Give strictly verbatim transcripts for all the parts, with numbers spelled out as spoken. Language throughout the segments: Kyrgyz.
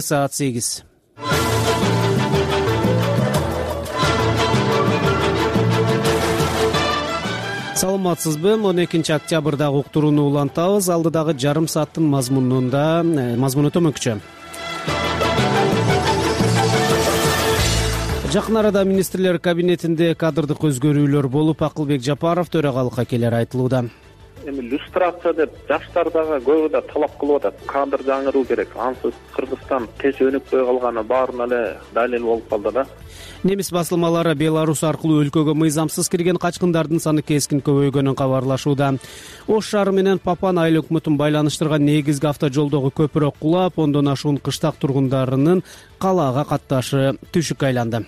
саат сегиз. Саламатсызбы? он экинчи октябрдагы уктурууну улантабыз. Алдыдагы жарым сааттын мазмунунда мазмуну төмөнкүчө. Жакын арада министрлер кабинетинде кадрдык өзгөрүүлөр болуп, Акылбек Жапаров төрагалыкка келери айтылууда. Эми иллюстрация деп жаштар дагы көбү да талап кылып атат. Кадр жаңыруу керек. Ансыз Кыргызстан тез өнүкпөй калганы баарына эле далил болуп калды да. Немис басылмалары Беларусь аркылуу өлкөгө мыйзамсыз кирген качкындардын саны кескин көбөйгөнүн кабарлашууда. Ош шаары менен Папан айыл өкмөтүн байланыштырган негизги автожолдогу көпүрө кулап, ондон ашуун кыштак тургундарынын калаага катташы түшүккө айланды.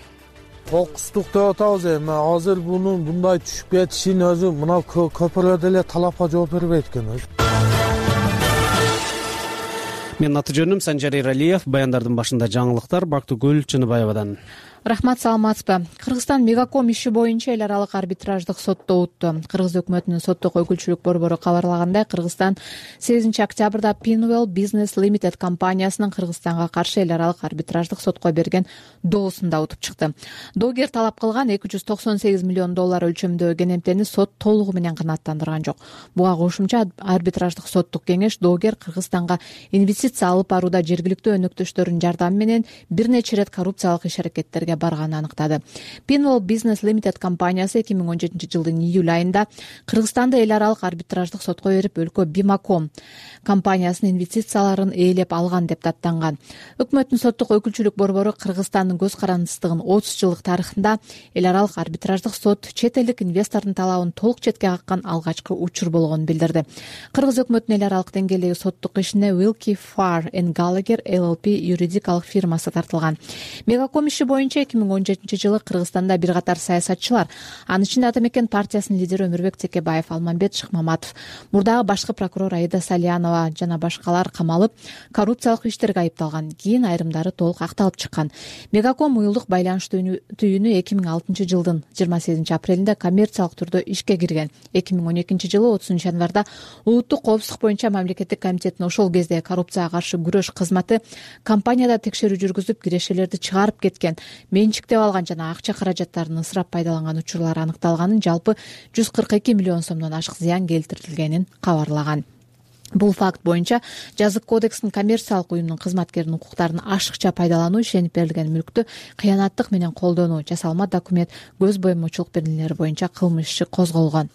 Кокустук деп атабыз эми. Азыр бунун мындай түшүп кетишин өзү мына көпүрө деле талапка жооп бербейт экен өзү. Мен аты жөнүм Санжар Эралиев. Баяндардын башында жаңылыктар Бактыгүл Чыныбаевадан. Рахмат, саламатсызбы? Кыргызстан Мегаком иши боюнча эл аралык арбитраждык сотто утtu. Кыргыз өкмөтүнүн соттук өкүлчүлүк борбору кабарлагандай, Кыргызстан сегизинчи октябрда Pinwell Business Limited компаниясынын Кыргызстанга каршы эл аралык арбитраждык сотко берген доосунда утуп чыкты. Доогер талап кылган эки жүз токсон сегиз миллион доллар өлчөмдөгү кенемтени сот толугу менен канааттандырган жок. Буга кошумча арбитраждык соттук кеңеш доогер Кыргызстанга инвестиция алып барууда жергиликтүү өнөктөштөрүнүн жардамы менен бир нече ирет коррупциялык иш-аракеттерге барганын аныктады. Pinwell Business Limited компаниясы эки миң он жетинчи жылдын июль айында Кыргызстанды эл аралык арбитраждык сотко берип, өлкө Бимаком компаниясынын инвестицияларын ээлеп алган деп даттанган. Өкмөттүн соттук өкүлчүлүк борбору Кыргызстандын көз карандысыздыгын отуз жылдык тарыхында эл аралык арбитраждык сот чет элдик инвестордун талабын толук четке каккан алгачкы учур болгонун билдирди. Кыргыз өкмөтүнүн эл аралык деңгээлдеги соттук ишине Wilkie Farr and Gallagher L L P юридикалык фирмасы тартылган. Мегаком иши боюнча эки миң он жетинчи жылы Кыргызстанда бир катар саясатчылар, анын ичинде Ата мекен партиясынын лидери Өмүрбек Текебаев, Алмамбет Шыкмаматов, мурдагы башкы прокурор Аида Салянова жана башкалар камалып, коррупциялык иштерге айыпталган. Кийин айрымдары толук акталып чыккан. Мегаком уюлдук байланыш түйүнү эки миң алтынчы жылдын жыйырма сегизинчи апрелинде коммерциялык түрдө ишке кирген. эки миң он экинчи жылы отузунчу январда улуттук коопсуздук боюнча мамлекеттик комитеттин ошол кезде коррупцияга каршы күрөш кызматы компанияда текшерүү жүргүзүп, кирешелерди чыгарып кеткен, менчиктеп алган жана акча каражаттарын ысырап пайдаланган учурлар аныкталганын, жалпы жүз кырк эки миллион сомдон ашык зыян келтирилгенин кабарлаган. Бул факт боюнча жазык кодекстин коммерциялык уюмдун кызматкеринин укуктарын ашыкча пайдалануу, ишенип берилген мүлктү кыянаттык менен колдонуу, жасалма документ, көз боемочулук беренелери боюнча кылмыш иши козголгон.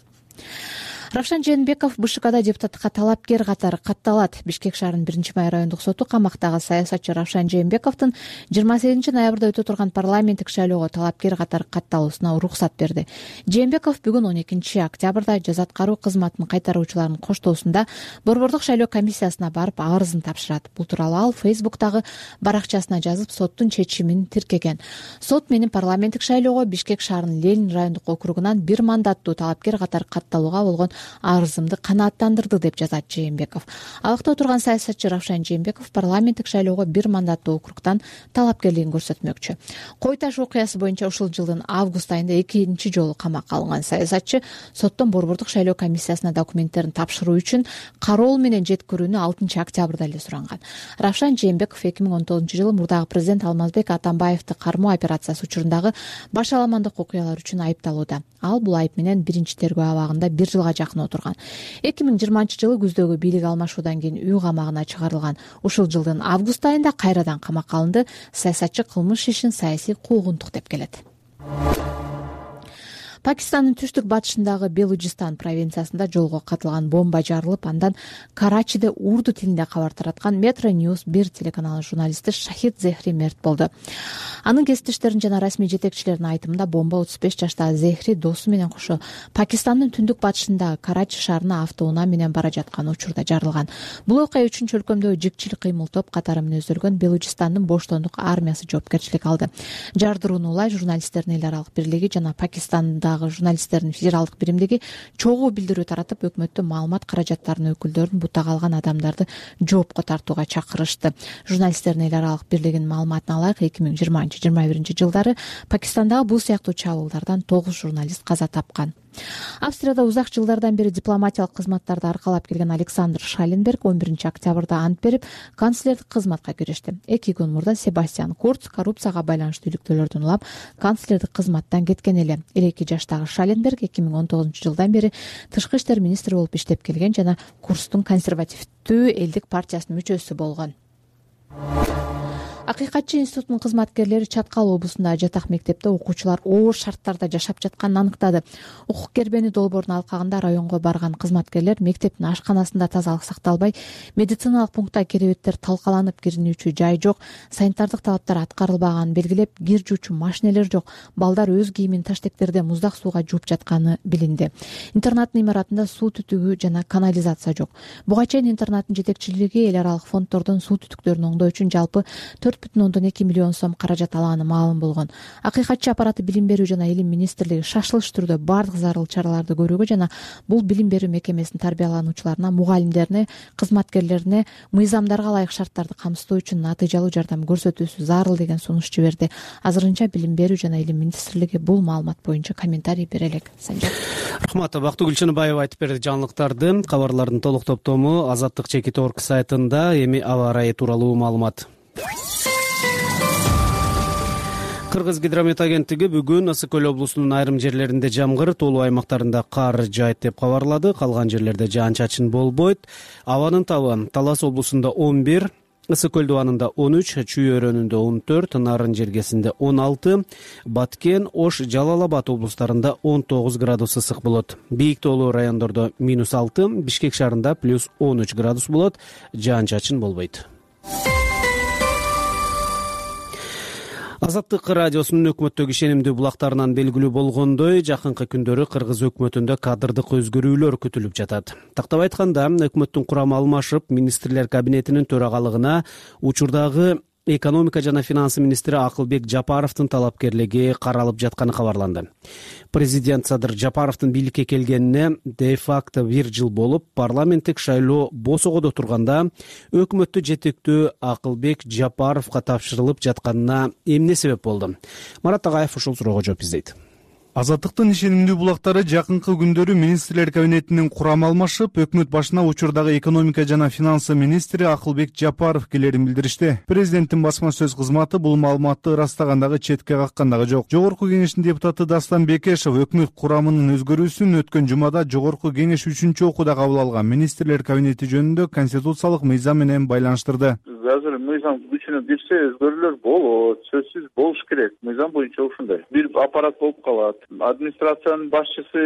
Равшан Жээнбеков БШКда депутатка талапкер катары катталат. Бишкек шаарынын биринчи май райондук соту камактагы саясатчы Равшан Жээнбековдун жыйырма сегизинчи ноябрда өтө турган парламенттик шайлоого талапкер катары катталуусуна уруксат берди. Жээнбеков бүгүн он экинчи октябрда жаза аткаруу кызматынын кайтаруучуларынын коштоосунда борбордук шайлоо комиссиясына барып арызын тапшырат. Бул тууралуу ал Фейсбуктагы баракчасына жазып, соттун чечимин тиркеген. Сот менин парламенттик шайлоого Бишкек шаарынын Ленин райондук округунан бир мандаттуу талапкер катары катталууга болгон арызымды канааттандырды деп жазат Жээнбеков. Алакта отурган саясатчы Равшан Жээнбеков парламенттик шайлоого бир мандаттуу округдан талапкерлигин көрсөтмөкчү. Кой таш окуясы боюнча ушул жылдын август айында экинчи жолу камакка алынган саясатчы соттон борбордук шайлоо комиссиясына документтерин тапшыруу үчүн кароол менен жеткирүүнү алтынчы октябрда эле суранган. Равшан Жээнбеков эки миң он тогузунчу жылы мурдагы президент Алмазбек Атамбаевди кармоо операциясы учурундагы баш аламандык окуялар үчүн айыпталууда. Ал бул айып менен биринчи тергөө абагында бир жылга жакын отурган. эки миң жыйырманчы жылы күздөгү бийлик алмашуудан кийин үй камагына чыгарылган. Ушул жылдын август айында кайрадан камакка алынды. Саясатчы кылмыш ишин саясий куугунтук деп келет. Пакистандын түштүк батышындагы Белуджистан провинциясында жолго катылган бомба жарылып, андан Карачиде урду тилинде кабар тараткан Metro News бир телеканалынын журналисти Шахид Зехри мерт болду. Анын кесиптештеринин жана расмий жетекчилеринин айтымында бомба отуз беш жаштагы Зехри досу менен кошо Пакистандын түндүк батышындагы Карачи шаарына автоунаа менен бара жаткан учурда жарылган. Бул окуя үчүн чөлкөмдөгү жикчил кыймыл топ катары мүнөздөлгөн Белуджистандын боштондук армиясы жоопкерчилик алды. Жардырууну улай журналисттердин эл аралык бирлиги жана Пакистандагы журналисттердин федералдык биримдиги чогуу билдирүү таратып, өкмөттүн маалымат каражаттарынын өкүлдөрүн бутага алган адамдарды жоопко тартууга чакырышты. Журналисттердин эл аралык бирлигинин маалыматына ылайык эки миң жыйырманчы жыйырма биринчи жылдары Пакистандагы бул сыяктуу чабуулдардан тогуз журналист каза тапкан. Австрияда узак жылдардан бери дипломатиялык кызматтарды аркалап келген Александр Шаленберг он биринчи октябрда ант берип канцлердик кызматка киришти. эки күн мурда Себастьян Курц коррупцияга байланыштуу иликтөөлөрдөн улап канцлердик кызматтан кеткен эле. элүү эки жаштагы Шаленберг эки миң он тогузунчу жылдан бери тышкы иштер министри болуп иштеп келген жана Курцтун консервативдүү элдик партиясынын мүчөсү болгон. Акыйкатчы институтунун кызматкерлери Чаткал облусундагы жатак мектепте окуучулар оор шарттарда жашап жатканын аныктады. Укук кербени долбоорун алкагында районго барган кызматкерлер мектептин ашканасында тазалык сакталбай, медициналык пунктта керебеттер талкаланып киринүүчү жай жок, санитардык талаптар аткарылбаганын белгилеп, кир жуучу машинелер жок, балдар өз кийимин таштектерде муздак сууга жууп жатканы билинди. Интернаттын имаратында суу түтүгү жана канализация жок. Буга чейин интернаттын жетекчилиги эл аралык фонддордон суу түтүктөрүн оңдоо үчүн жалпы төрт бүтүн ондон эки миллион сом каражат алганы маалым болгон. Акыйкатчы аппараты билим берүү жана илим министрлиги шашылыш түрдө бардык зарыл чараларды көрүүгө жана бул билим берүү мекемесинин тарбиялануучуларына, мугалимдерине, кызматкерлерине мыйзамдарга ылайык шарттарды камсыздоо үчүн натыйжалуу жардам көрсөтүүсү зарыл деген сунуш жиберди. Азырынча билим берүү жана илим министрлиги бул маалымат боюнча комментарий бере элек. Санжар. Рахмат. Бактыгүл Чыныбаева айтып берди жаңылыктарды. Кабарлардын толук топтому Азаттык чекит орг сайтында. Эми аба ырайы тууралуу маалымат. Кыргыз гидромет агенттиги бүгүн Ысык көл облусунун айрым жерлеринде жамгыр, тоолуу аймактарында кар жаайт деп кабарлады. Калган жерлерде жаан-чачын болбойт. Абанын табы Талас облусунда он бир, Ысык көл дубанында он үч, Чүй өрөөнүндө он төрт, Нарын жергесинде он алты, Баткен, Ош, Жалал Абад облустарында он тогуз градус ысык болот. Бийик тоолуу райондордо минус алты, Бишкек шаарында плюс он үч градус болот. Жаан-чачын болбойт. Азаттык радиосунун өкмөттөгү ишенимдүү булактарынан белгилүү болгондой, жакынкы күндөрү Кыргыз өкмөтүндө кадрдык өзгөрүүлөр күтүлүп жатат. Тактап айтканда, өкмөттүн курамы алмашып, министрлер кабинетинин төрагалыгына учурдагы экономика жана финансы министри Акылбек Жапаровдун талапкерлиги каралып жатканы кабарланды. Президент Садыр Жапаровдун бийликке келгенине де-факто бир жыл болуп, парламенттик шайлоо босогодо турганда өкмөттү жетектөө Акылбек Жапаровго тапшырылып жатканына эмне себеп болду? Марат Агаев ушул суроого жооп издейт. Азаттыктын ишенимдүү булактары жакынкы күндөрү министрлер кабинетинин курамы алмашып, өкмөт башына учурдагы экономика жана финансы министри Акылбек Жапаров келерин билдиришти. Президенттин басма сөз кызматы бул маалыматты ырастагандагы четке каккан дагы жок. Жогорку кеңештин депутаты Дастан Бекешев өкмөт курамынын өзгөрүүсүн өткөн жумада Жогорку кеңеш үчүнчү окууда кабыл алган министрлер кабинети жөнүндө конституциялык мыйзам менен байланыштырды. Азыр мыйзам күчүнө кирсе өзгөрүүлөр болот, сөзсүз болуш керек. Мыйзам боюнча ушундай. Бир аппарат болуп калат. Администрациянын башчысы,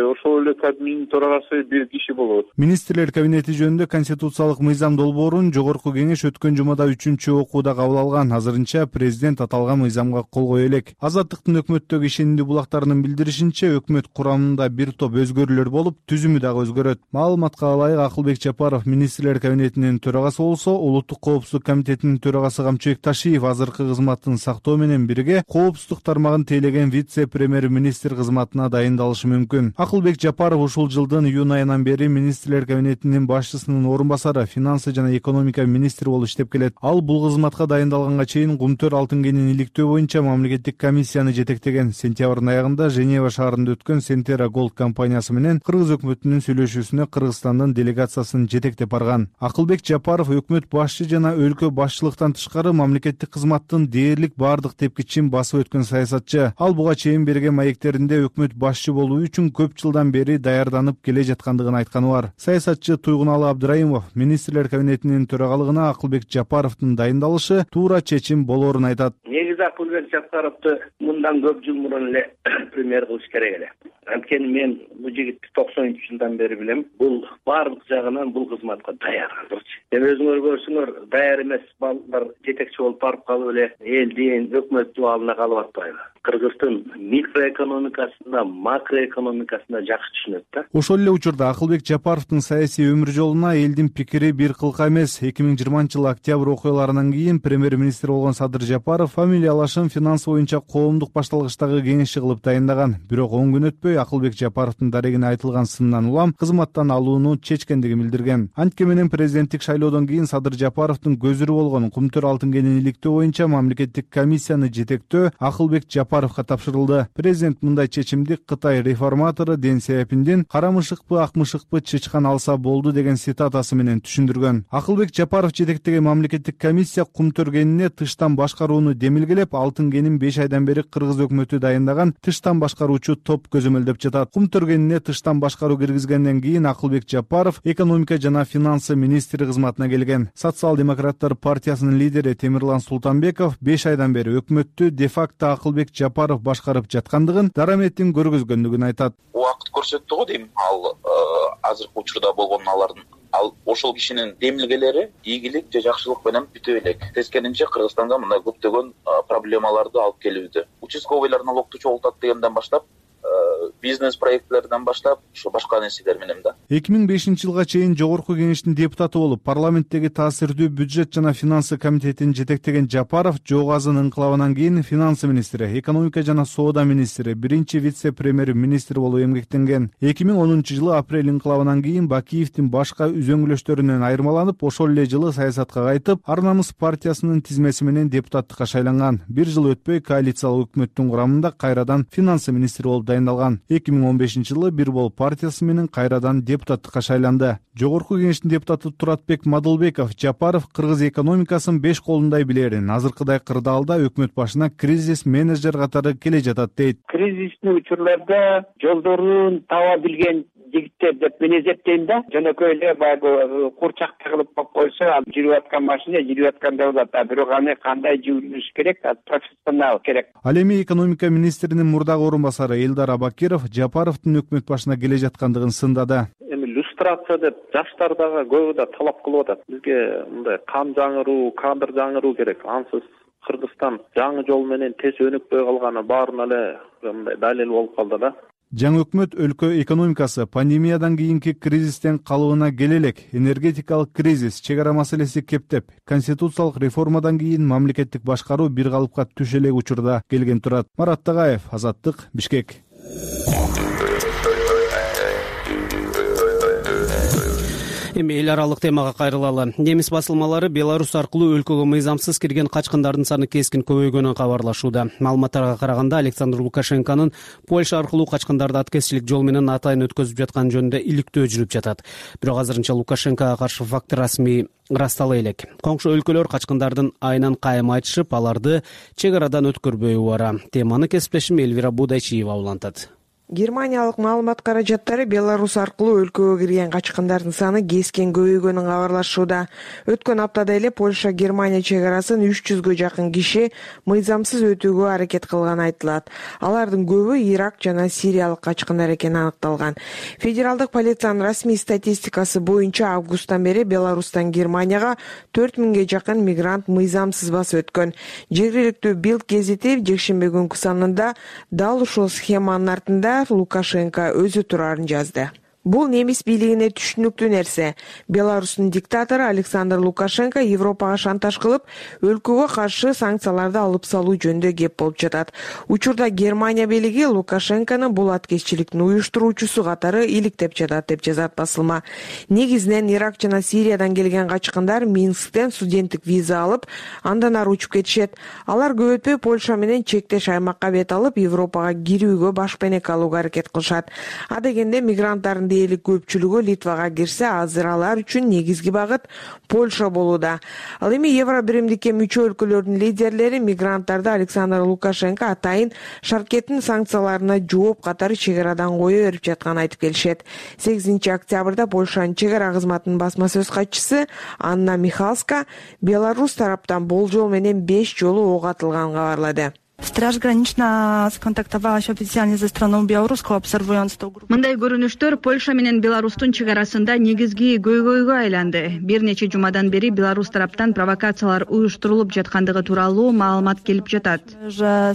ошол эле кабинеттин төрагасы бир киши болот. Министрлер кабинети жөнүндө конституциялык мыйзам долбоорун Жогорку кеңеш өткөн жумада үчүнчү окууда кабыл алган. Азырынча президент аталган мыйзамга кол кое элек. Азаттыктын өкмөттөгү ишенимдүү булактарынын билдиришинче, өкмөт курамында бир топ өзгөрүүлөр болуп, түзүмү дагы өзгөрөт. Маалыматка ылайык, Акылбек Жапаров министрлер кабинетинин төрагасы болсо, улуттук коопсуздук комитетинин төрагасы Камчыбек Ташиев азыркы кызматын сактоо менен бирге коопсуздук тармагын тейлеген вице-премьер-министр кызматына дайындалышы мүмкүн. Акылбек Жапаров ушул жылдын июнь айынан бери министрлер кабинетинин башчысынын орун басары, финансы жана экономика министри болуп иштеп келет. Ал бул кызматка дайындалганга чейин Кумтөр алтын кенин иликтөө боюнча мамлекеттик комиссияны жетектеген. Сентябрдын аягында Женева шаарында өткөн Сентера Голд компаниясы менен Кыргыз өкмөтүнүн сүйлөшүүсүнө Кыргызстандын делегациясын жетектеп барган. Акылбек Жапаров өкмөт башчы жана өлкө башчылыктан тышкары мамлекеттик кызматтын дээрлик бардык тепкичин басып өткөн саясатчы. Ал буга чейин берген маектеринде өкмөт башчы болуу үчүн көп жылдан бери даярданып келе жаткандыгын айтканы бар. Саясатчы Туйгуналы Абдыраимов министрлер кабинетинин төрагалыгына Акылбек Жапаровдун дайындалышы туура чечим болоорун айтат. Негизи Акылбек Жапаровду мындан көп жыл мурун эле премьер кылыш керек эле. Анткени мен бул жигитти токсонунчу жылдан бери билем. Бул баардык жагынан бул кызматка даяр азырчы. Эми өзүңөр көрсөңөр, даяр эмес балдар жетекчи болуп барып калып эле элдин өкмөттүн алдына калып атпайбы? Кыргыздын микроэкономикасында, макроэкономикасында жакшы түшүнөт да. Ошол эле учурда Акылбек Жапаровдун саясий өмүр жолуна элдин пикири бир кылка эмес. эки миң жыйырманчы жылы октябрь окуяларынан кийин премьер-министр болгон Садыр Жапаров фамилиялашын финансы боюнча коомдук башталгычтагы кеңешчи кылып дайындаган. Бирок он күн өтпөй Акылбек Жапаровдун дарегине айтылган сындан улам кызматтан алууну чечкендигин билдирген. Антке менен президенттик шайлоодон кийин Садыр Жапаровдун көзүрү болгон Кумтөр алтын кенин иликтөө боюнча мамлекеттик комиссияны жетектөө Акылбек Жапаров Жапаровго тапшырылды. Президент мындай чечимди Кытай реформатору Дэн Сяопиндин «карамышыкпы, акмышыкпы чычкан алса болду» деген цитатасы менен түшүндүргөн. Акылбек Жапаров жетектеген мамлекеттик комиссия кум төргенине тыштан башкарууну демилгелеп, алтын кенин беш айдан бери кыргыз өкмөтү дайындаган тыштан башкаруучу топ көзөмөлдөп жатат. Кум төргенине тыштан башкаруу киргизгенден кийин Акылбек Жапаров экономика жана финансы министри кызматына келген. Социал-демократтар партиясынын лидери Темирлан Султанбеков беш айдан бери өкмөттү де-факто Акылбек Жапаров башкарып жаткандыгын, дараметин көргөзгөндүгүн айтат. Убакыт көрсөттү го дейм. Ал азыркы учурда болгон алардын ал ошол кишинин демилгелери ийгилик же жакшылык менен бүтө элек. Тескерисинче Кыргызстанга мындай көптөгөн проблемаларды алып келүүдө. Участковыйлар налогду чогултат дегенден баштап, бизнес проектлерден баштап, ушу башка нерселер менен да. эки миң бешинчи жылга чейин Жогорку Кеңештин депутаты болуп, парламенттеги таасирдүү бюджет жана финансы комитетин жетектеген Жапаров Жоогазын инкылабынан кийин финансы министри, экономика жана соода министри, биринчи вице-премьер-министр болуп эмгектенген. эки миң онунчу жылы апрель инкылабынан кийин Бакиевдин башка үзөңгүлөштөрүнөн айырмаланып, ошол эле жылы саясатка кайтып, Ар намыс партиясынын тизмеси менен депутаттыкка шайланган. Бир жыл өтпөй коалициялык өкмөттүн курамында кайрадан финансы министри болуп дайындалган. эки миң он бешинчи жылы Бир Бол партиясы менен кайрадан депутаттыкка шайланды. Жогорку Кеңештин депутаты Туратбек Мадылбеков Жапаров кыргыз экономикасын беш колундай билерин, азыркыдай кырдаалда өкмөт башына кризис менеджер катары келе жатат дейт. Кризистүү учурларда жолдорун таба билген жигиттер деп мен эсептейм да. Жөнөкөй эле баягы курчак тыгылып коюп койсо, жүрүп аткан машина жүрүп аткандай болот. А бирок аны кандай жүрүш керек? Профессионал керек. Ал эми экономика министринин мурдагы орун басары Элдар Абакиров Жапаровдун өкмөт башына келе жаткандыгын сындады. Эми люстрация деп жаштар дагы көбү да талап кылып атат. Бизге мындай кан жаңыруу, кадр жаңыруу керек. Ансыз Кыргызстан жаңы жол менен тез өнүкпөй калганы баарына эле мындай далил болуп калды да. Жаңы өкмөт өлкө экономикасы пандемиядан кийинки кризистен калыбына келе элек. Энергетикалык кризис, чек ара маселеси кептеп, конституциялык реформадан кийин мамлекеттик башкаруу бир калыпка түшө элек учурда келген турат. Марат Тагаев, Азаттык, Бишкек. Эми эл аралык темага кайрылалы. Немис басылмалары Беларусь аркылуу өлкөгө мыйзамсыз кирген качкындардын саны кескин көбөйгөнүн кабарлашууда. Маалыматтарга караганда Александр Лукашенконун Польша аркылуу качкындарды аткезчилик жол менен атайын өткөзүп жаткан жөнүндө иликтөө жүрүп жатат. Бирок азырынча Лукашенкого каршы факт расмий ырастала элек. Коңшу өлкөлөр качкындардын айынан кайым айтышып, аларды чек арадан өткөрбөй убара. Теманы кесиптешим Элвира Будайчиева улантат. Германиялык маалымат каражаттары Беларусь аркылуу өлкөгө кирген качкындардын саны кескен көбөйгөнүн кабарлашууда. Өткөн аптада эле Польша Германия чек арасын үч жүзгө жакын киши мыйзамсыз өтүүгө аракет кылганы айтылат. Алардын көбү Ирак жана Сириялык качкындар экени аныкталган. Федералдык полициянын расмий статистикасы боюнча августтан бери Беларустан Германияга төрт миңге жакын мигрант мыйзамсыз басып өткөн. Жергиликтүү Билд гезити жекшемби күнкү санында дал ушул схеманын артында Лукашенко өзү турарын жазды. Бул немис бийлигине түшүнүктүү нерсе. Беларустун диктатору Александр Лукашенко Европага шантаж кылып, өлкөгө каршы санкцияларды алып салуу жөнүндө кеп болуп жатат. Учурда Германия бийлиги Лукашенкону бул аткезчиликтин уюштуруучусу катары иликтеп жатат деп жазат басылма. Негизинен Ирак жана Сириядан келген качкындар Минсктен студенттик виза алып, андан ары учуп кетишет. Алар көп өтпөй Польша менен чектеш аймакка бет алып, Европага кирүүгө башпенек алууга аракет кылышат. Адегенде мигранттардын дээрлик көпчүлүгү Литвага кирсе, азыр алар үчүн негизги багыт Польша болууда. Ал эми Евро биримдикке мүчө өлкөлөрдүн лидерлери мигранттарды Александр Лукашенко атайын шаркеттин санкцияларына жооп катары чек арадан кое берип жатканын айтып келишет. сегизинчи октябрда Польшанын чек ара кызматынын басма сөз катчысы Анна Михалска Беларусь тараптан болжол менен беш жолу ок атылганын кабарлады. Страж гранична сконтактовалась официально за страну белорусского, обсервируя сто групп. Мындай көрүнүштөр Польша менен Беларустун чек арасында негизги көйгөйгө айланды. Бир нече жумадан бери Беларусь тараптан провокациялар уюштурулуп жаткандыгы тууралуу маалымат келип жатат.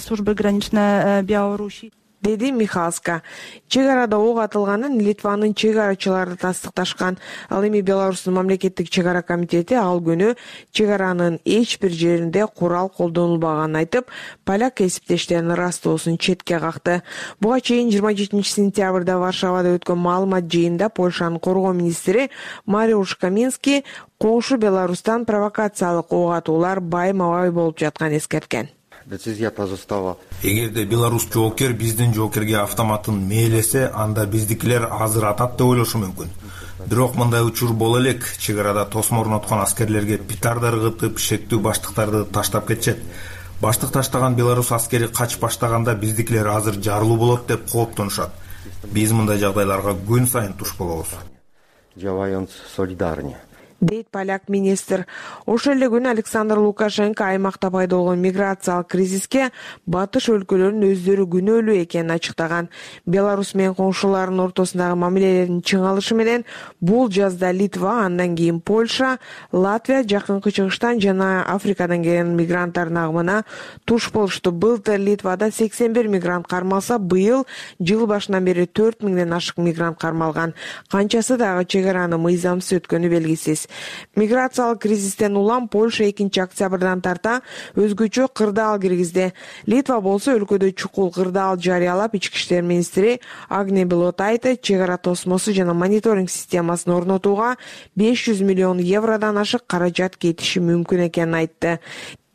Служба граничная Беларуси деди Михалска. Чек арада ок атылганын Литванын чек арачылары тастыкташкан. Ал эми Беларустун мамлекеттик чек ара комитети ал күнү чек аранын эч бир жеринде курал колдонулбаганын айтып, поляк кесиптештеринин ырастоосун четке какты. Буга чейин жыйырма жетинчи сентябрда Варшавада өткөн маалымат жыйынында Польшанын коргоо министри Мариуш Каминский коңшу Беларустан провокациялык ок атуулар байма-бай болуп жатканын эскерткен. Decyzja ta została. Эгерде Беларусь жоокер биздин жоокерге автоматын мээлесе, анда биздикилер азыр атат деп ойлошу мүмкүн. Бирок мындай учур боло элек. Чек арада тосмо орноткон аскерлерге петарда ыргытып, шектүү баштыктарды таштап кетишет. Баштык таштаган Беларусь аскери качып баштаганда биздикилер азыр жарылуу болот деп кооптонушат. Биз мындай жагдайларга күн сайын туш болобуз. Działając solidarnie. Дейт поляк министр. Ошол эле күнү Александр Лукашенко аймакта пайда болгон миграциялык кризиске батыш өлкөлөрүнүн өздөрү күнөөлүү экенин ачыктаган. Беларусь менен коңшуларынын ортосундагы мамилелердин чыңалышы менен бул жазда Литва, андан кийин Польша, Латвия жакынкы чыгыштан жана Африкадан келген мигранттардын агымына туш болушту. Былтыр Литвада сексен бир мигрант кармалса, быйыл жыл башынан бери төрт миңден ашык мигрант кармалган. Канчасы дагы чек араны мыйзамсыз өткөнү белгисиз. Миграциялык кризистен улам Польша экинчи октябрдан тарта өзгөчө кырдаал киргизди. Литва болсо өлкөдө чукул кырдаал жарыялап, ички иштер министри Агне Белотайте чек ара тосмосу жана мониторинг системасын орнотууга беш жүз миллион евродон ашык каражат кетиши мүмкүн экенин айтты.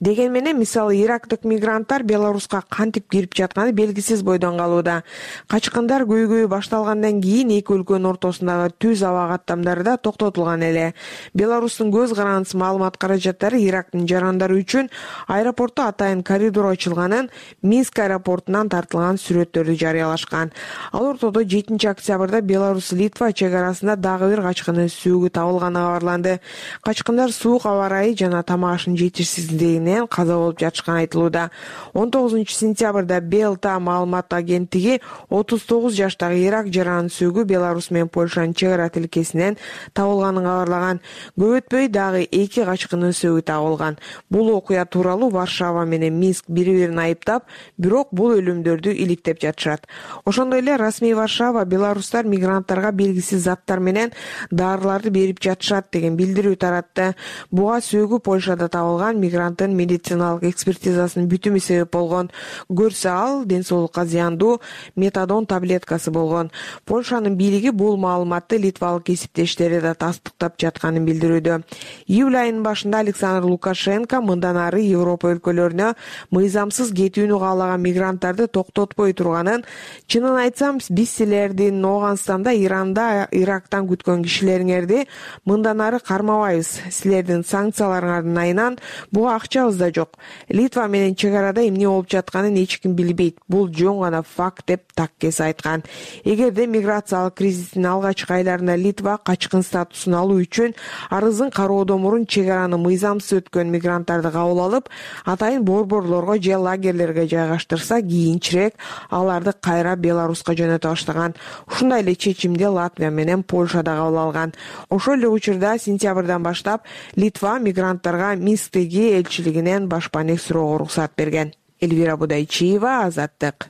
Деген менен, мисалы, ирактык мигранттар Беларуска кантип кирип жатканы белгисиз бойдон калууда. Качкындар көйгөйү башталгандан кийин эки өлкөнүн ортосундагы түз аба каттамдары да токтотулган эле. Беларустун көз карандысы маалымат каражаттары Ирактын жарандары үчүн аэропортто атайын коридор ачылганын, Минск аэропортунан тартылган сүрөттөрдү жарыялашкан. Ал ортодо жетинчи октябрда Беларусь-Литва чек арасында дагы бир качкынын сөөгү табылганы кабарланды. Качкындар суук аба ырайы жана тамак ашынын жетишсиздигинен каза болуп жатышканы айтылууда. он тогузунчу сентябрда Белта маалымат агенттиги отуз тогуз жаштагы Ирак жаранын сөөгү Беларусь менен Польшанын чек ара тилкесинен табылганын кабарлаган. Көп өтпөй дагы эки качкынын сөөгү табылган. Бул окуя тууралуу Варшава менен Минск бири-бирин айыптап, бирок бул өлүмдөрдү иликтеп жатышат. Ошондой эле расмий Варшава беларустар мигранттарга белгисиз заттар менен дарыларды берип жатышат деген билдирүү таратты. Буга сөөгү Польшада табылган мигранттын медициналык экспертизасынын бүтүмү себеп болгон. Көрсө ал ден соолукка зыяндуу метадон таблеткасы болгон. Польшанын бийлиги бул маалыматты литвалык кесиптештери да тастыктап жатканын билдирүүдө. Июль айынын башында Александр Лукашенко мындан ары Европа өлкөлөрүнө мыйзамсыз кетүүнү каалаган мигранттарды токтотпой турганын, чынын айтсам, биз силердин Ооганстанда, Иранда, Ирактан күткөн кишилериңерди мындан ары кармабайбыз. Силердин санкцияларыңардын айынан буга акчабыз да жок. Литва менен чек арада эмне болуп жатканын эч ким билбейт. Бул жөн гана факт деп таккес айткан. Эгерде миграциялык кризистин алгачкы айларында Литва качкын статусун алуу үчүн арызын кароодон мурун чек араны мыйзамсыз өткөн мигранттарды кабыл алып, атайын борборлорго же лагерлерге жайгаштырса, кийинчерээк аларды кайра Беларуска жөнөтө баштаган. Ушундай эле чечимди Латвия менен Польша да кабыл алган. Ошол эле учурда сентябрдан баштап Литва мигранттарга Минсктеги элчилигинен башпанек суроого уруксат берген. Эльвира Будайчиева, Азаттык.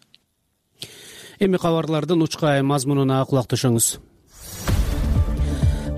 Эми кабарлардын учкай мазмунуна кулак түшүңүз.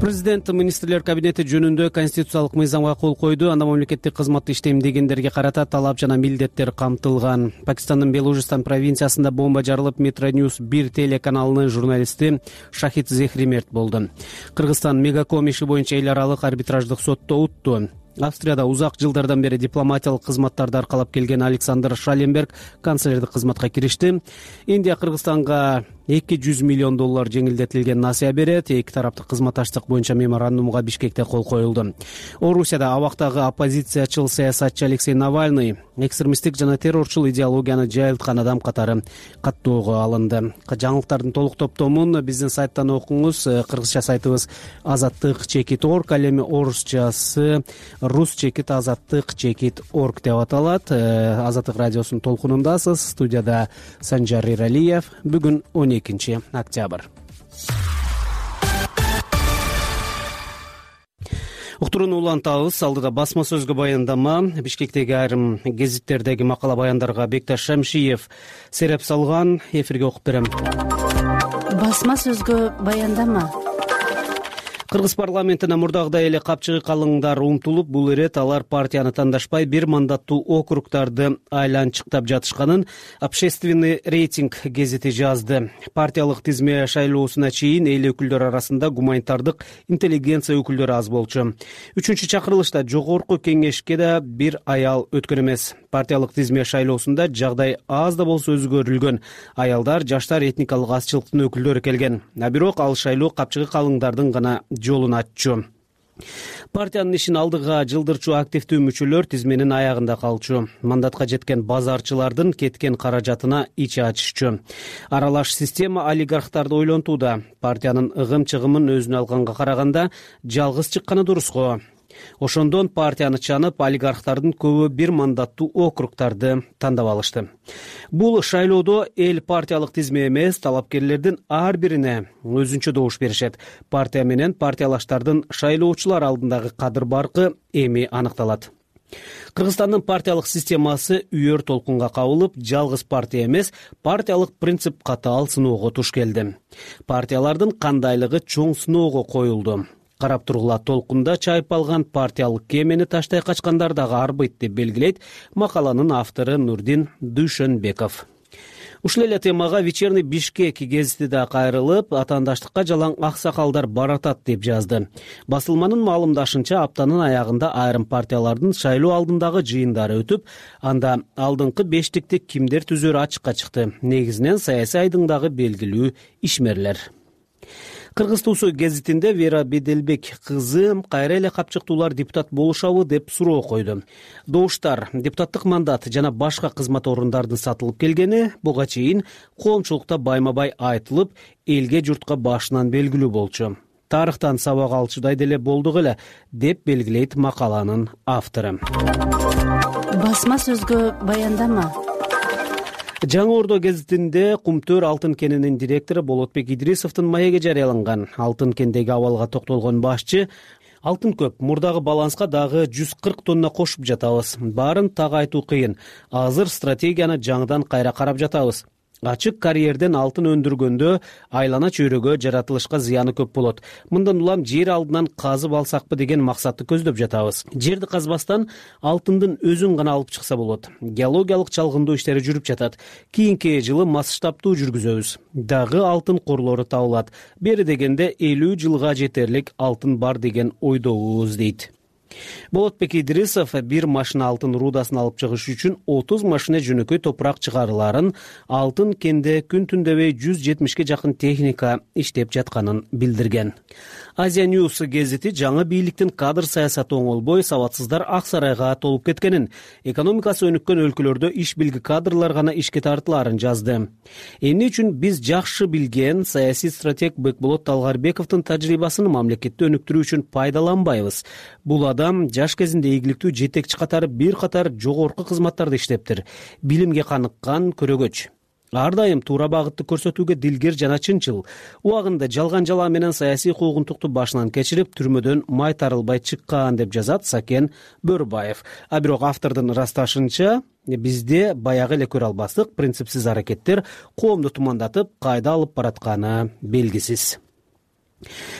Президент министрлер кабинети жөнүндө конституциялык мыйзамга кол койду. Анда мамлекеттик кызматты иштемдегендерге карата талап жана милдеттер камтылган. Пакистандын Белужистан провинциясында бомба жарылып, Метроньюз бир телеканалынын журналисти Шахид Зехри мерт болду. Кыргызстан Мегаком иши боюнча эл аралык арбитраждык сотто утту. Австрияда узак жылдардан бери дипломатиялык кызматтарды аркалап келген Александр Шаленберг канцлердик кызматка киришти. Индия Кыргызстанга эки жүз миллион доллар жеңилдетилген насыя берет. Эки тараптык кызматташтык боюнча меморандумга Бишкекте кол коюлду. Орусияда абактагы оппозициячыл саясатчы Алексей Навальный экстремисттик жана террорчул идеологияны жайылткан адам катары каттоого алынды. Жаңылыктардын толук топтомун биздин сайттан окуңуз. Кыргызча сайтыбыз азаттык чекит орг, ал эми орусчасы рус чекит азаттык чекит орг деп аталат. Азаттык радиосунун толкунундасыз. Студияда Санжар Иралиев. Бүгүн он экинчи октябрь. Уктурууну улантабыз. Алдыда басма сөзгө баяндама. Бишкектеги айрым гезиттердеги макала баяндарга Бекташ Шамшиев сереп салган. Эфирге окуп берем. Басма сөзгө баяндама. Кыргыз парламентине мурдагыдай эле капчыгы калыңдар умтулуп, бул ирет алар партияны тандашпай бир мандаттуу округдарды айланчыктап жатышканын Общественный рейтинг гезити жазды. Партиялык тизме шайлоосуна чейин эл өкүлдөр арасында гуманитардык интеллигенция өкүлдөрү аз болчу. Үчүнчү чакырылышта жогорку кеңешке да бир аял өткөн эмес. Партиялык тизме шайлоосунда жагдай аз да болсо өзгөрүлгөн. Аялдар, жаштар, этникалык азчылыктын өкүлдөрү келген. А бирок ал шайлоо капчыгы калыңдардын гана жолун аччу. Партиянын ишин алдыга жылдырчу активдүү мүчөлөр тизменин аягында калчу. Мандатка жеткен базарчылардын кеткен каражатына ич ачышчу. Аралаш система олигархтарды ойлонтууда. Партиянын ыгым-чыгымын өзүнө алганга караганда жалгыз чыкканы дурус го. Ошондон партияны чанып, олигархтардын көбү бир мандаттуу округдарды тандап алышты. Бул шайлоодо эл партиялык тизме эмес, талапкерлердин ар бирине өзүнчө добуш беришет. Партия менен партиялаштардын шайлоочулар алдындагы кадыр баркы эми аныкталат. Кыргызстандын партиялык системасы үйөр толкунга кабылып, жалгыз партия эмес, партиялык принцип катаал сыноого туш келди. Партиялардын кандайлыгы чоң сыноого коюлду. Карап тургула толкунда чайып алган партиялык кемени таштай качкандар дагы арбыйт деп белгилейт макаланын автору Нурдин Дүйшөнбеков. Ушул эле темага Вечерний Бишкек гезити да кайрылып, атаандаштыкка жалаң аксакалдар баратат деп жазды. Басылманын маалымдашынча, аптанын аягында айрым партиялардын шайлоо алдындагы жыйындары өтүп, анда алдыңкы бештикти кимдер түзөрү ачыкка чыкты. Негизинен саясий айдыңдагы белгилүү ишмерлер. Кыргыз Туусу гезитинде Вера Беделбек кызы кайра эле капчыктуулар депутат болушабы деп суроо койду. Добуштар, депутаттык мандат жана башка кызмат орундардын сатылып келгени буга чейин коомчулукта байма-бай айтылып, элге журтка башынан белгилүү болчу. Тарыхтан сабак алчудай деле болдук эле деп белгилейт макаланын автору. Басма сөзгө баяндама. Жаңы Ордо гезитинде Кумтөр алтын кенинин директору Болотбек Идрисовдун маеги жарыяланган. Алтын кендеги абалга токтолгон башчы: алтын көп, мурдагы баланска дагы жүз кырк тонна кошуп жатабыз. Баарын так айтуу кыйын. Азыр стратегияны жаңыдан кайра карап жатабыз. Ачык карьерден алтын өндүргөндө айлана чөйрөгө жаратылышка зыяны көп болот. Мындан улам жер алдынан казып алсакпы деген максатты көздөп жатабыз. Жерди казбастан алтындын өзүн гана алып чыкса болот. Геологиялык чалгындоо иштери жүрүп жатат. Кийинки жылы масштабтуу жүргүзөбүз. Дагы алтын корлору табылат. Бери дегенде элүү жылга жетерлик алтын бар деген ойдобуз дейт. Болотбек Идрисов бир машина алтын рудасын алып чыгыш үчүн отуз машина жөнөкөй топурак чыгарыларын, алтын кенде күн түндөбөй жүз жетимишке жакын техника иштеп жатканын билдирген. Азия News гезити жаңы бийликтин кадр саясаты оңолбой, сабатсыздар ак сарайга толуп кеткенин, экономикасы өнүккөн өлкөлөрдө иш билги кадрлар гана ишке тартыларын жазды. Эмне үчүн биз жакшы билген саясий стратег Бекболот Талгарбековдун тажрыйбасын мамлекетти өнүктүрүү үчүн пайдаланбайбыз. Бул адам жаш кезинде ийгиликтүү жетекчи катары бир катар жогорку кызматтарда иштептир. Билимге каныккан көрөгөч. Ар дайым туура багытты көрсөтүүгө дилгер жана чынчыл. Убагында жалган жала менен саясий куугунтукту башынан кечирип, түрмөдөн май тарылбай чыккан деп жазат Сакен Бөрбаев. А бирок автордун ырасташынча, бизде баягы эле көрө албастык принципсиз аракеттер коомду тумандатып, кайда алып баратканы белгисиз.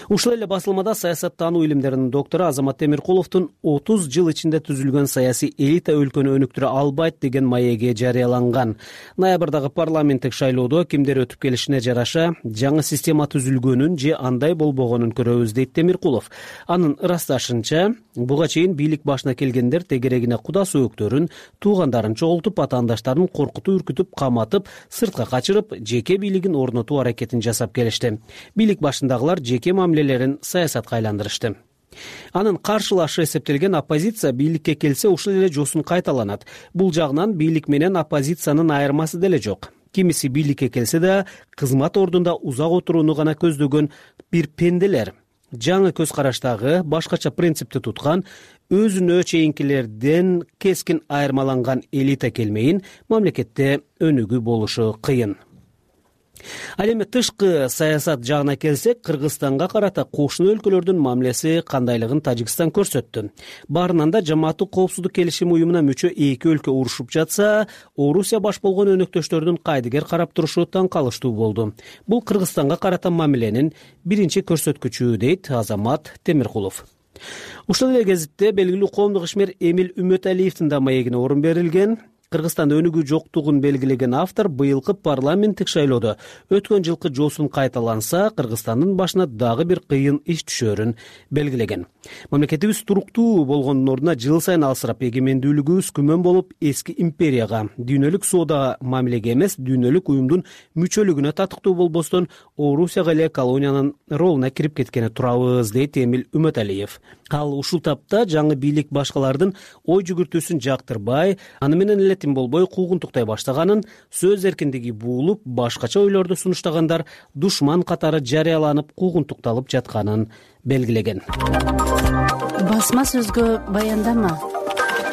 Ушул эле басылмада саясаттануу илимдеринин доктору Азамат Темиркуловдун отуз жыл ичинде түзүлгөн саясий элита өлкөнү өнүктүрө албайт деген маеги жарыяланган. Ноябрдагы парламенттик шайлоодо кимдер өтүп келишине жараша жаңы система түзүлгөнүн же андай болбогонун көрөбүз дейт Темиркулов. Анын ырасташынча, буга чейин бийлик башына келгендер тегерегине куда сөөктөрүн, туугандарын чогултуп, атаандаштарын коркутуп, үркүтүп, каматып, сыртка качырып, жеке бийлигин орнотуу аракетин жасап келишти. Бийлик башындагылар жеке мамилелерин саясатка айландырышты. Анын каршылашы эсептелген оппозиция бийликке келсе ушул эле жосун кайталанат. Бул жагынан бийлик менен оппозициянын айырмасы деле жок. Кимиси бийликке келсе да кызмат ордунда узак отурууну гана көздөгөн бир пенделер. Жаңы көз караштагы, башкача принципти туткан, өзүнө чейинкилерден кескин айырмаланган элита келмейин мамлекетте өнүгүү болушу кыйын. Ал эми тышкы саясат жагына келсек, Кыргызстанга карата кошуна өлкөлөрдүн мамилеси кандайлыгын Тажикстан көрсөттү. Баарынан да Жамааттык коопсуздук келишими уюмуна мүчө эки өлкө урушуп жатса, Орусия баш болгон өнөктөштөрдүн кайдыгер карап турушу таң калыштуу болду. Бул Кыргызстанга карата мамиленин биринчи көрсөткүчү, дейт Азамат Темиркулов. Ушул эле кезитте белгилүү коомдук ишмер Эмил Үмөталиевдин да маегине орун берилген. Кыргызстанда өнүгүү жоктугун белгилеген автор быйылкы парламенттик шайлоодо өткөн жылкы жоосун кайталанса, Кыргызстандын башына дагы бир кыйын иш түшөрүн белгилеген. Мамлекетибиз туруктуу болгондун ордуна жыл сайын алсырап, эгемендүүлүгүбүз күмөн болуп, эски империяга, дүйнөлүк соода мамилеге эмес, дүйнөлүк уюмдун мүчөлүгүнө татыктуу болбостон, Орусияга эле колониянын ролуна кирип кеткени турабыз, дейт Эмил Үмөталиев. Ал ушул тапта жаңы бийлик башкалардын ой жүгүртүүсүн жактырбай, аны менен эле тим болбой куугунтуктай баштаганын, сөз эркиндиги буулуп, башкача ойлорду сунуштагандар душман катары жарыяланып куугунтукталып жатканын белгилеген. Басма сөзгө баяндама.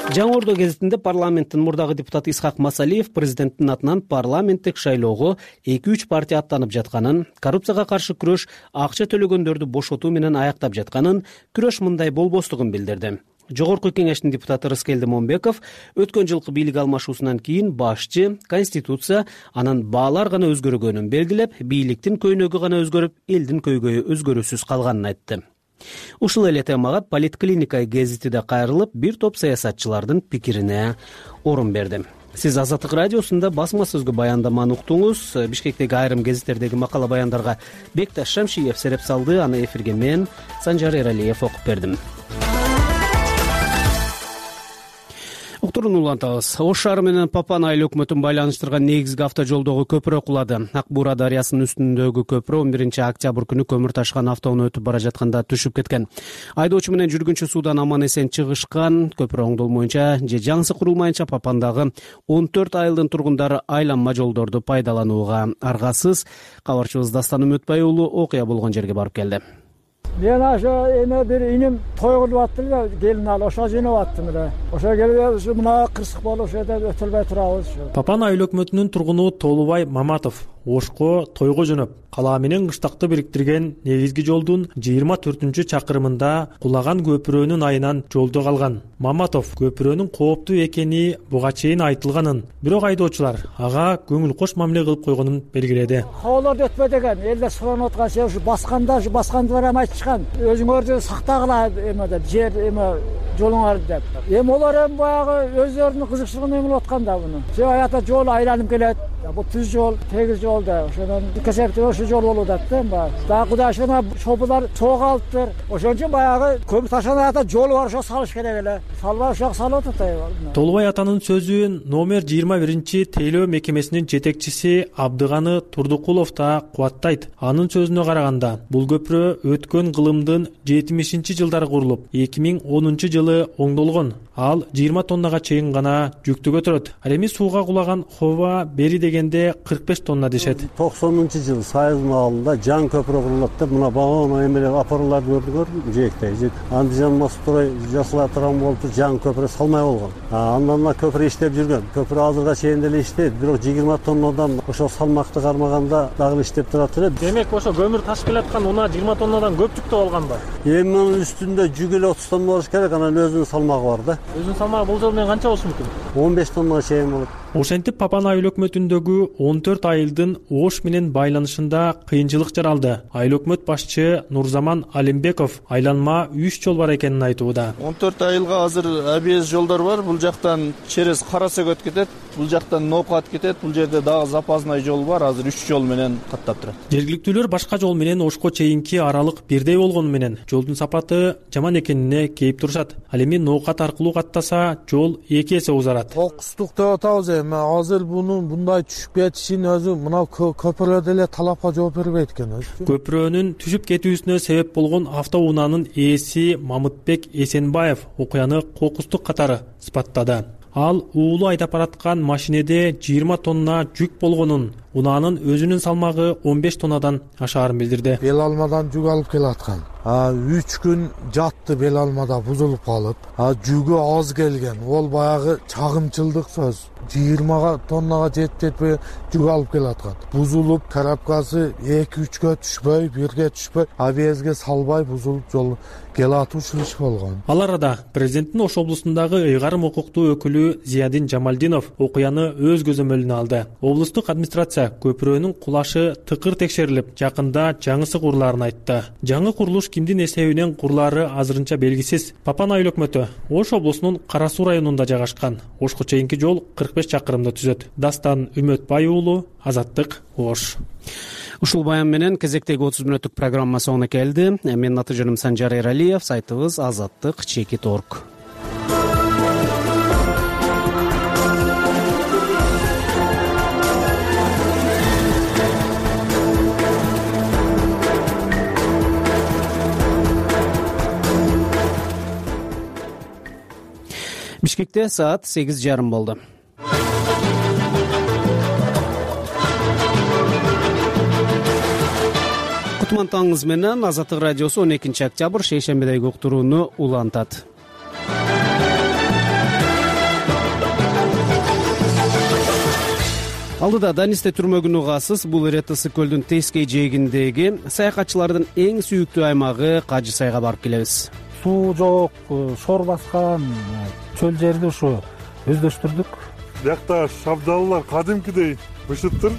Жаңы Ордо гезитинде парламенттин мурдагы депутаты Исхак Масалиев президенттин атынан парламенттик шайлоого эки үч партия аттанып жатканын, коррупцияга каршы күрөш акча төлөгөндөрдү бошотуу менен аяктап жатканын, күрөш мындай болбостугун билдирди. Жогорку кеңештин депутаты Рыскелди Момбеков өткөн жылкы бийлик алмашуусунан кийин башчы, конституция, анан баалар гана өзгөргөнүн белгилеп, бийликтин көйнөгү гана өзгөрүп, элдин көйгөйү өзгөрүүсүз калганын айтты. Ушул эле темага Политклиника гезити да кайрылып, бир топ саясатчылардын пикирине орун берди. Сиз Азаттык радиосунда басма сөзгө баяндаманы уктуңуз. Бишкектеги айрым гезиттердеги макала баяндарга Бекташ Шамшиев сереп салды, аны эфирге мен, Санжар Эралиев окуп бердим. Уктурууну улантабыз. Ош шаары менен Папан айыл өкмөтүн байланыштырган негизги автожолдогу көпүрө кулады. Ак Буура дарыясынын үстүндөгү көпүрө он биринчи октябрь күнү көмүр ташыган автоунаа өтүп бара жатканда түшүп кеткен. Айдоочу менен жүргүнчү суудан аман эсен чыгышкан. Көпүрө оңдолмоюнча же жаңысы курулмайынча Папандагы он төрт айылдын тургундары айланма жолдорду пайдаланууга аргасыз. Кабарчыбыз Дастан Үмөтбай уулу окуя болгон жерге барып келди. Мен ошо эме бир иним той кылып аттым да, келин алып ошо жыйнап аттым эле. Ошо келип ушу мына кырсык болуп ошо жерде өтөлбөй турабыз. Папан айыл өкмөтүнүн тургуну Толубай Маматов Ошко тойго жөнөп, калаа менен кыштакты бириктирген негизги жолдун жыйырма төртүнчү чакырымында кулаган көпүрөнүн айынан жолдо калган. Маматов көпүрөнүн кооптуу экени буга чейин айтылганын, бирок айдоочулар ага көңүл кош мамиле кылып койгонун белгиледи. Хоолорду өтпөй деген, элдер суранып аткан сен ушу басканда, ушу баскандыгы эми айтышкан. Өзүңөрдү сактагыла эме деп, жер эме жолуңарды деп. Эми олар эми баягы өздөрүнүн кызыкчылыгын эме кылып аткан да буну. Сен аята жол айланып келет. Бул түз жол, тегиз жол да. Ошондон кесепти ошо жол болуп атты эми. Дагы Кудай шона шопулар сого алыптыр. Ошон үчүн баягы көмүр ташыган аята жол бар, ошо салыш керек эле. Салбай ошо салып атат. Толубай атанын сөзүн номер жыйырма биринчи тейлөө мекемесинин жетекчиси Абдыганы Турдукулов да кубаттайт. Анын сөзүнө караганда, бул көпүрө өткөн кылымдын жетимишинчи жылдары курулуп, эки миң онунчу жылы оңдолгон. Ал жыйырма тоннага чейин гана жүктү көтөрөт. Ал эми сууга кулаган хоба бери дегенде кырк беш тонна дешет. токсонунчу жылы Сайыз маалында жаңы көпүрө курулат деп, мына багана эмелер апарларды көрдүңөр, жээктей. Андыжан Мострой жасала турган болуп, жаңы көпүрө салмай болгон. Андан мына көпүрө иштеп жүргөн. Көпүрө азырга чейин деле иштейт, бирок жыйырма тоннадан ошо салмакты кармаганда дагы иштеп турат эле. Демек ошо көмүр ташып келаткан унаа жыйырма тоннадан көп жүктө алганбы? Эми мунун үстүндө жүк эле отуз тонна болуш керек, анан өзүнүн салмагы бар да. Өзүнүн салмагы бул жол менен канча болушу мүмкүн? он беш тоннага чейин болот. Ошентип Папан айыл өкмөтүндөгү он төрт айылдын Ош менен байланышында кыйынчылык жаралды. Айыл өкмөт башчы Нурзаман Алимбеков айланма үч жол бар экенин айтууда. он төрт айылга азыр абс жолдор бар. Бул жактан через Карасөгөт кетет, бул жактан Ноокат кетет, бул жерде дагы запасный жол бар. Азыр үч жол менен каттап турат. Жергиликтүүлөр башка жол менен Ошко чейинки аралык бирдей болгону менен жолдун сапаты жаман экенине кейип турушат. Ал эми Ноокат аркылуу каттаса жол эки эсе узарат. Окустук деп атабыз эми. Азыр бунун мындай түшүп кетишин өзү мына көпүрөдө эле талапка жооп бербейт экен өзү. Көпүрөнүн түшүп кетүүсүнө себеп болгон автоунаанын ээси Мамытбек Эсенбаев окуяны кокустук катары сыпаттады. Ал уулу айдап бараткан машинеде жыйырма тонна жүк болгонун, унаанын өзүнүн салмагы он беш тоннадан ашаарын билдирди. Бел алмадан жүк алып келаткан. үч күн жатты, бел алмада бузулуп калып, жүгү аз келген. Ол баягы чагымчылдык сөз. жыйырма тоннага жетип жетпеген жүк алып келаткан. Бузулуп, коробкасы эки үчкө түшпөй, бирге түшпөй, абиезге салбай бузулуп жол келатып ушул иш болгон. Ал арада президенттин Ош облусундагы ыйгарым укуктуу өкүлү Зиядин Жамалдинов окуяны өз көзөмөлүнө алды. Облустук администрация көпүрөнүн кулашы тыкыр текшерилип, жакында жаңысы курулаарын айтты. Жаңы курулуш кимдин эсебинен курулаары азырынча белгисиз. Папан айыл өкмөтү Ош облусунун Кара Суу районунда жайгашкан. Ошко чейинки жол кырк беш чакырымды түзөт. Дастан Үмөтбай уулу, Азаттык, Ош. Ушул баян менен кезектеги отуз мүнөттүк программа соңуна келди. Менин аты жөнүм Санжар Эралиев, сайтыбыз азаттык чекит точка орг. Бишкекте саат сегиз жарым болду. Кутман таңыңыз менен Азаттык радиосу он экинчи октябрь шейшембедеги уктурууну улантат. Алдыда Данисте түрмөгүн угасыз. Бул Ретасы көлдүн тескей жээгиндеги саякатчылардын эң сүйүктүү аймагы Кажы сайга барып келебиз. Суу жок, шор баскан чөл жерди ушу өздөштүрдүк. Биякта шабдаллар кадимкидей бышыттыр.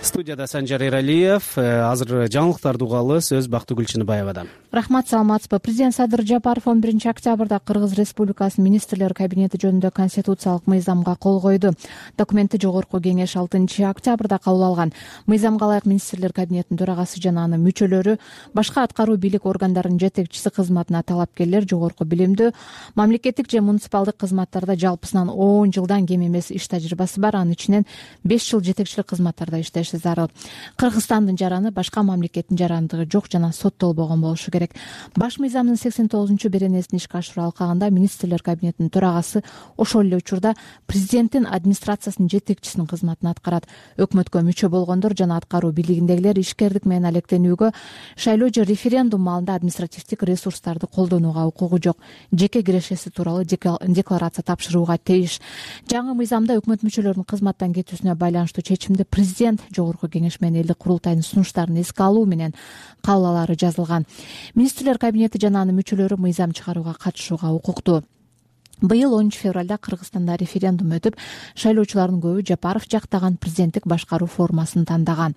Студияда Санжар Эралиев. Азыр жаңылыктарды угалы, сөз Бактыгүл Чыныбаевадан. Рахмат, саламатсызбы. Президент Садыр Жапаров он биринчи октябрда Кыргыз Республикасынын министрлер кабинети жөнүндө конституциялык мыйзамга кол койду. Документти жогорку кеңеш алтынчы октябрда кабыл алган. Мыйзамга ылайык министрлер кабинетинин төрагасы жана анын мүчөлөрү, башка аткаруу бийлик органдарынын жетекчиси кызматына талапкерлер жогорку билимдүү, мамлекеттик же муниципалдык кызматтарда жалпысынан он жылдан кем эмес иш тажрыйбасы бар, анын ичинен беш жыл жетекчилик кызматтарда иштеши зарыл. Кыргызстандын жараны башка мамлекеттин жарандыгы жок жана соттолбогон болушу керек. Баш мыйзамдын сексен тогузунчу беренесин ишке ашыруу алкагында министрлер кабинетинин төрагасы ошол эле учурда президенттин администрациясынын жетекчисинин кызматын аткарат. Өкмөткө мүчө болгондор жана аткаруу бийлигиндегилер ишкердик менен алектенүүгө, шайлоо же референдум маалында административдик ресурстарды колдонууга укугу жок. Жеке кирешеси тууралуу декларация тапшырууга тийиш. Жаңы мыйзамда өкмөт мүчөлөрүнүн кызматтан кетүүсүнө байланыштуу чечимди президент жогорку кеңеш менен элдик курултайдын сунуштарын эске алуу менен кабыл алаары жазылган. Министрлер кабинети жана анын мүчөлөрү мыйзам чыгарууга катышууга укуктуу. Быйыл онунчу февралда Кыргызстанда референдум өтүп, шайлоочулардын көбү Жапаров жактаган президенттик башкаруу формасын тандаган.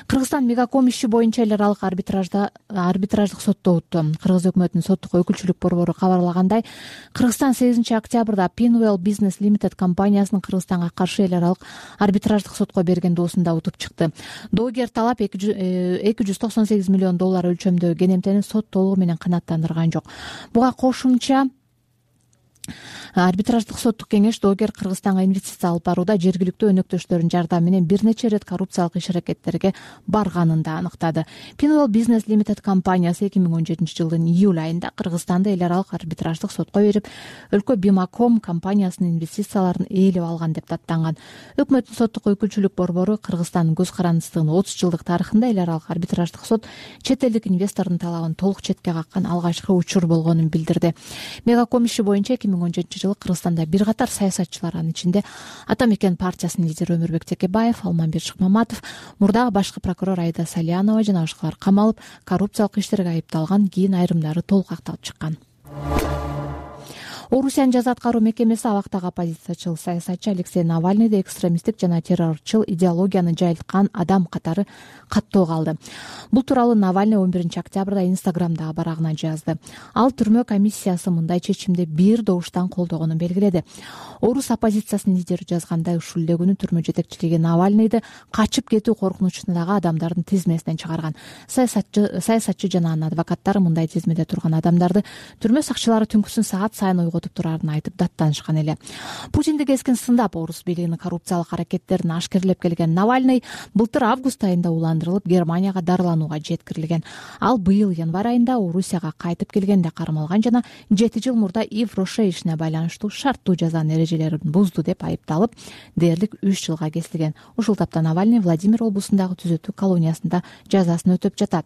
Кыргызстан Мегаком иши боюнча эл аралык арбитражда арбитраждык сотто өттү. Кыргыз өкмөтүнүн соттук өкүлчүлүк борбору кабарлагандай, Кыргызстан сегизинчи октябрда Pinwell Business Limited компаниясынын Кыргызстанга каршы эл аралык арбитраждык сотко берген доосунда утуп чыкты. Доогер талап эки жүз токсон сегиз миллион доллар өлчөмдөгү кенемтени сот толугу менен канааттандырган жок. Буга кошумча арбитраждык соттук кеңеш доогер Кыргызстанга инвестиция алып барууда жергиликтүү өнөктөштөрүнүн жардамы менен бир нече ирет коррупциялык иш-аракеттерге барганын да аныктады. Pinwell Business Limited компаниясы эки миң он жетинчи жылдын июль айында Кыргызстанды эл аралык арбитраждык сотко берип, өлкө Бимаком компаниясынын инвестицияларын ээлеп алган деп даттанган. Өкмөттүн соттук өкүлчүлүк борбору Кыргызстандын көз карандысынын отуз жылдык тарыхында эл аралык арбитраждык сот чет элдик инвестордун талабын толук четке каккан алгачкы учур болгонун билдирди. Мегаком иши боюнча эки миң он жетинчи жылы Кыргызстанда бир катар саясатчылар, анын ичинде Ата Мекен партиясынын лидери Өмүрбек Текебаев, Алмамбет Шыкмаматов, мурдагы башкы прокурор Айда Салянова жана башкалар камалып, коррупциялык иштерге айыпталган, кийин айрымдары толук акталып чыккан. Орусиянын жаза аткаруу мекемеси абактагы оппозициячыл саясатчы Алексей Навальныйды экстремисттик жана террорчул идеологияны жайылткан адам катары каттоого алды. Бул тууралуу Навальный он биринчи октябрда Инстаграмдагы барагына жазды. Ал түрмө комиссиясы мындай чечимди бир добуштан колдогонун белгиледи. Орус оппозициясынын лидери жазгандай, ушул эле күнү түрмө жетекчилиги Навальныйды качып кетүү коркунучундагы адамдардын тизмесинен чыгарган. Саясатчы саясатчы жана анын адвокаттары мындай тизмеде турган адамдарды түрмө сакчылары түнкүсүн саат сайын коркутуп турарын айтып даттанышкан эле. Путинди кескин сындап орус бийлигинин коррупциялык аракеттерин ашкерлеп келген Навальный былтыр август айында уландырылып Германияга дарыланууга жеткирилген. Ал быйыл январь айында Орусияга кайтып келгенде кармалган жана жети жыл мурда Ив-Роше ишине байланыштуу шарттуу жазанын эрежелерин бузду деп айыпталып, дээрлик үч жылга кесилген. Ушул тапта Навальный Владимир облусундагы түзөтүү колониясында жазасын өтөп жатат.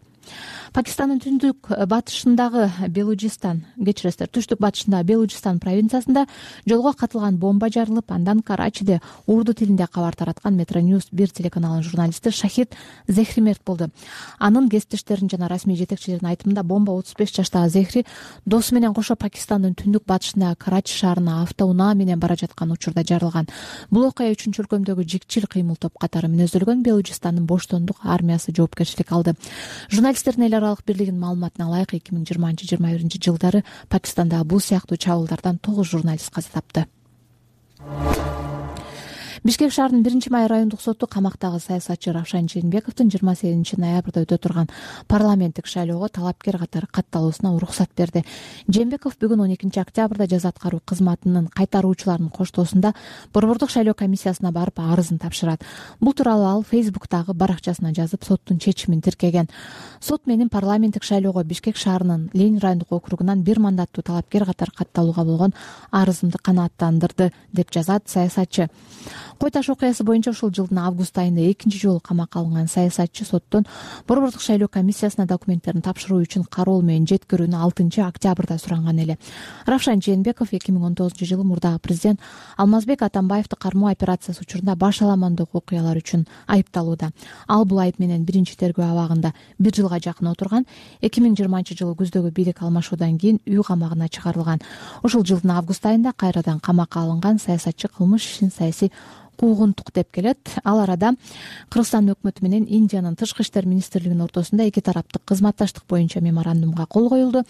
Пакистандын түндүк батышындагы Белуджистан, кечиресиздер, түштүк батышындагы Белуджистан провинциясында жолго катылган бомба жарылып, андан Карачиде урду тилинде кабар тараткан Метроньюз бир телеканалынын журналисти Шахид Зехри мерт болду. Анын кесиптештеринин жана расмий жетекчилердин айтымында бомба отуз беш жаштагы Зехри досу менен кошо Пакистандын түндүк батышындагы Карачи шаарына автоунаа менен бара жаткан учурда жарылган. Бул окуя үчүнчү өлкөмдөгү жикчил кыймыл топ катары мүнөздөлгөн Белуджистандын боштондук армиясы жоопкерчилик алды. Журналисттердин эл аралык бирлигинин маалыматына ылайык эки миң жыйырманчы жыйырма биринчи жылдары Пакистанда бул сыяктуу чабуулдардан тогуз журналист каза тапты. Бишкек шаарынын биринчи май райондук соту камактагы саясатчы Равшан Жээнбековдун жыйырма сегизинчи ноябрда өтө турган парламенттик шайлоого талапкер катары катталуусуна уруксат берди. Жээнбеков бүгүн он экинчи октябрда жаза аткаруу кызматынын кайтаруучуларынын коштоосунда борбордук шайлоо комиссиясына барып арызын тапшырат. Бул тууралуу ал Фейсбуктагы баракчасына жазып, соттун чечимин тиркеген. Сот менин парламенттик шайлоого Бишкек шаарынын Ленин райондук округунан бир мандаттуу талапкер катары катталууга болгон арызымды канааттандырды деп жазат саясатчы. Кой таш окуясы боюнча ушул жылдын август айында экинчи жолу камакка алынган саясатчы соттон борбордук шайлоо комиссиясына документтерин тапшыруу үчүн кароол менен жеткирүүнү алтынчы октябрда суранган эле. Равшан Жээнбеков эки миң он тогузунчу жылы мурдагы президент Алмазбек Атамбаевди кармоо операциясы учурунда баш аламандык окуялар үчүн айыпталууда. Ал бул айып менен биринчи тергөө абагында бир жылга жакын отурган. эки миң жыйырманчы жылы күздөгү бийлик алмашуудан кийин үй камагына чыгарылган. Ушул жылдын август айында кайрадан камакка алынган саясатчы кылмыш ишин саясий куугунтук деп келет. Ал арада Кыргызстан өкмөтү менен Индиянын тышкы иштер министрлигинин ортосунда эки тараптык кызматташтык боюнча меморандумга кол коюлду.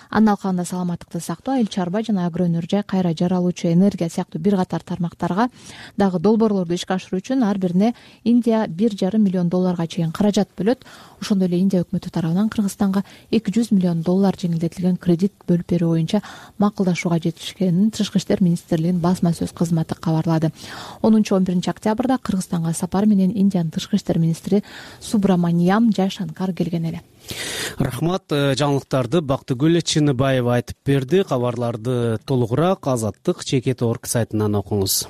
Анын алкагында саламаттыкты сактоо, айыл чарба жана агро өнөр жай, кайра жаралуучу энергия сыяктуу бир катар тармактарга дагы долбоорлорду ишке ашыруу үчүн ар бирине Индия бир жарым миллион долларга чейин каражат бөлөт. Ошондой эле Индия өкмөтү тарабынан Кыргызстанга эки жүз миллион доллар жеңилдетилген кредит бөлүп берүү боюнча макулдашууга жетишкенин тышкы иштер министрлигинин басма сөз кызматы кабарлады. онунчу он биринчи октябрда Кыргызстанга сапар менен Индиянын тышкы иштер министри Субраманиям Жайшанкар келген эле. Рахмат. Жаңылыктарды Бактыгүл Чыныбаева айтып берди. Кабарларды толугураак Азаттык чекит точка орг сайтынан окуңуз.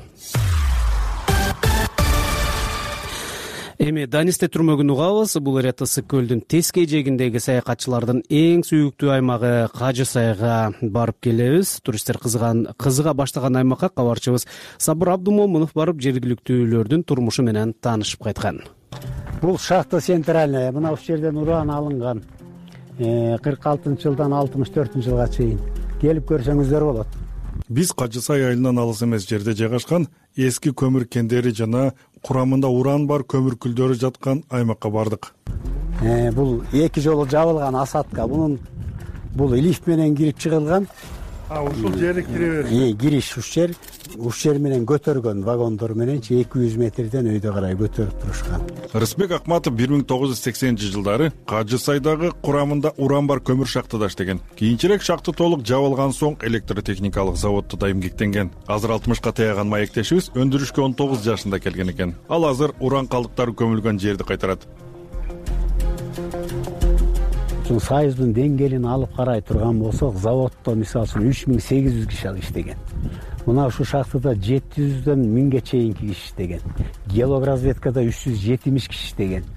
Эми Данисте түрмөгүн угабыз. Бул эре Ысык көлдүн тескей жээгиндеги саякатчылардын эң сүйүктүү аймагы Кажы сайга барып келебиз. Туристтер кызыган кызыга баштаган аймакка кабарчыбыз Сабыр Абдумомунов барып жергиликтүүлөрдүн турмушу менен таанышып кайткан. Бул шахта центральная, мына ушул жерден уран алынган. кырк алтынчы жылдан алтымыш төртүнчү жылга чейин келип көрсөңүздөр болот. Биз Кажы сай айылынан алыс эмес жерде жайгашкан эски көмүр кендери жана курамында уран бар көмүр күлдөрү жаткан аймакка бардык. Бул эки жолу жабылган асадка. Бунун бул лифт менен кирип чыгылган. А ушул жери кире беришет. Кириш ушул жер, ушул жер менен көтөргөн вагондор менен эки жүз метрден өйдө карай көтөрүп турушкан. Рысбек Акматов бир миң тогуз жүз сексенинчи жылдары Кажы сайдагы курамында уран бар көмүр шахтада иштеген. Кийинчерээк шахта толук жабылган соң электротехникалык заводдо дайым киктенген. Азыр алтымышка таяган маектешибиз өндүрүшкө он тогуз жашында келген экен. Ал азыр уран калдыктары көмүлгөн жерди кайтарат. Ушул Союздун деңгээлин алып карай турган болсок, заводдо мисалы үчүн үч миң сегиз жүз киши иштеген. Мына ушул шахтада жети жүздөн миңге чейинки киши иштеген. Геологразведкада үч жүз жетимиш киши иштеген.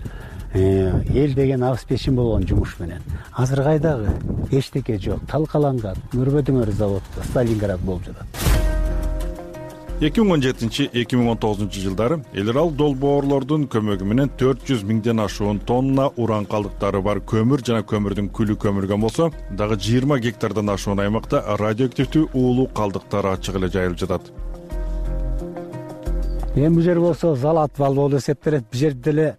Эл деген обеспечен болгон жумуш менен. Азыр кайдагы эчтеке жок, талкаланган. Көрбөдүңөр заводдо Сталинград болуп жатат. эки миң он жетинчи эки миң он тогузунчу жылдары эл аралык долбоорлордун көмөгү менен төрт жүз миңден ашуун тонна уран калдыктары бар көмүр жана көмүрдүн күлү көмүлгөн болсо, дагы жыйырма гектардан ашуун аймакта радиоактивдүү уулуу калдыктар ачык эле жайылып жатат. Эми бул жер болсо Залатвал болуп эсептелет. Бул жерде эле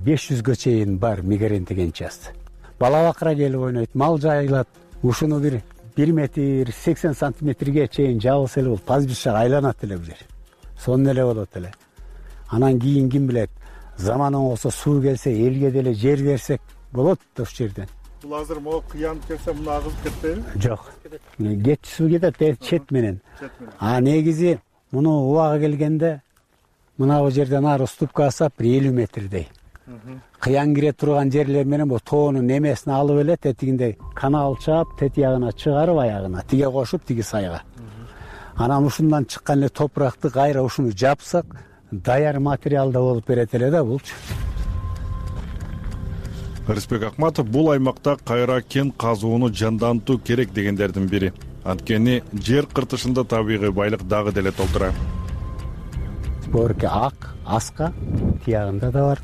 беш жүзгө чейин бар мигрантеген част. Бала бакыра келип ойнойт, мал жайылат. Ушуну бир бир метр сексен сантиметрге чейин жабылса эле бул пастбищага айланат эле бул жер. Сонун эле болот эле. Анан кийин ким билет, заманы болсо суу келсе, элге деле жер берсек болот да ушул жерден. бул азыр могу кыянып келсе муну агызып кетпейби? Жок. Кетчүсү кетет чет менен. А негизи муну убагы келгенде мына бул жерден ары уступка асап бир элүү метрдей. Кыян кире турган жерлер менен бул тоонун немесин алып элет, этигинде канал чаап, тетиягына чыгарып аягына тиге кошуп, тиги сайга. Анан ушундан чыккан эле топуракты кайра ушуну жапсак, даяр материалда болуп берет эле да булчу. Рыспек Акматов бул аймакта кайра кен казууну жандантуу керек дегендердин бири. Анткени жер кыртышында табигый байлык дагы деле толтура. Борке ак, аска, тиягында да бар.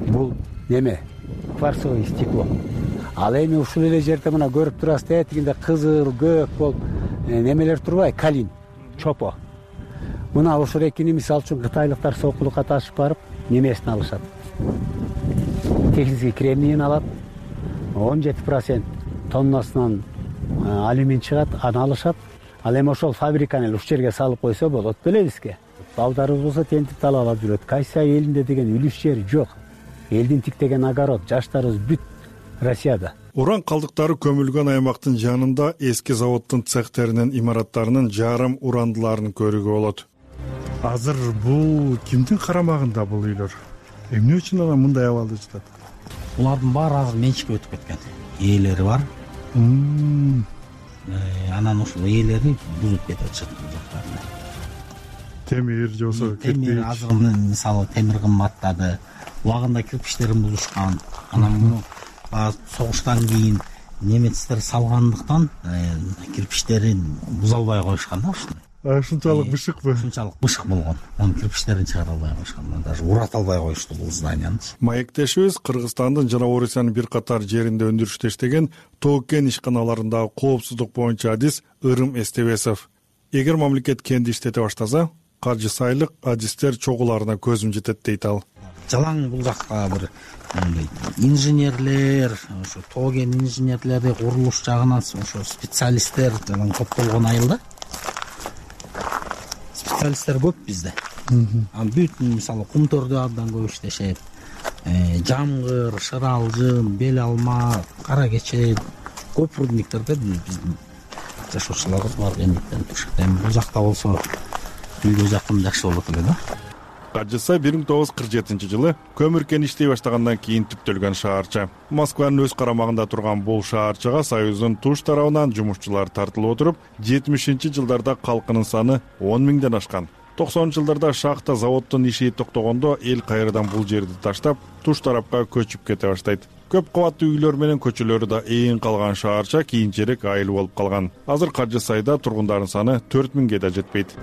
Бул неме? Кварцевый стекло. Ал эми ушул эле жерде мына көрүп турасыз, этигинде кызыл, көк бол немелер турбайбы? Калин, чопо. Мына ошол экини мисалы үчүн кытайлыктар сокулукка ташып барып, немесин алышат. Технический кремнийин алат. он жети процент тоннасынан алюмин чыгат, аны алышат. Ал эми ошол фабриканы ушул жерге салып койсо болот беле бизге. Балдарыбыз болсо тентип талап жүрөт. Кайсы элинде деген үлүш жери жок. Элдин тиктеген огород, жаштарыбыз бүт Россияда. Уран калдыктары көмүлгөн аймактын жанында эски заводдун цехтеринин имараттарынын жарым урандыларын көрүүгө болот. Азыр бул кимдин карамагында бул үйлөр? Эмне үчүн анан мындай абалда жатат? Булардын баары азыр менчикке өтүп кеткен. Ээлери бар. Анан ушул ээлери бузуп кетип атышат жактарына. Темир же болсо кирпич. Темир азыр мисалы темир кымбаттады. Убагында кирпичтерин бузушкан. Анан муну согуштан кийин немецтер салгандыктан кирпичтерин буза албай коюшкан да ушундай. Ушунчалык бышыкпы? Ушунчалык бышык болгон. Анын кирпичтерин чыгара албай коюшкан. Даже урата албай коюшту бул зданияны. Маектешибиз Кыргызстандын жана Орусиянын бир катар жеринде өндүрүштө иштеген тоо-кен ишканаларындагы коопсуздук боюнча адис Ырым Эстебесов. Эгер мамлекет кенди иштете баштаса, каржы сайлык адистер чогуларына көзүм жетет дейт ал. Жалаң бул жакка бир инженерлер, ошо тоо-кен инженерлери, курулуш жагынан ошо специалисттер жалаң топтолгон айылда. Специалисттер көп бизде. Анан бүт мисалы кумтөрдө абдан көп иштешет. Жамгыр, шыралжын, бел алма, кара кече көп рудниктерде биздин жашоочулар бар эмнектен турушат. Эми бул жакта болсо үйгө жакын жакшы болот эле да. Кажыса бир миң тогуз жүз кырк жетинчи жылы көмүр кен иштей баштагандан кийин түптөлгөн шаарча. Москванын өз карамагында турган бул шаарчага Союздун туш тарабынан жумушчулар тартылып отуруп, жетимишинчи жылдарда калкынын саны он миңден ашкан. токсонунчу жылдарда шахта заводдун иши токтогондо эл кайрадан бул жерди таштап, туш тарапка көчүп кете баштайт. Көп кабаттуу үйлөр менен көчөлөрү да ээн калган шаарча кийинчерээк айыл болуп калган. Азыр Кажы сайда тургундардын саны төрт миңге да жетпейт.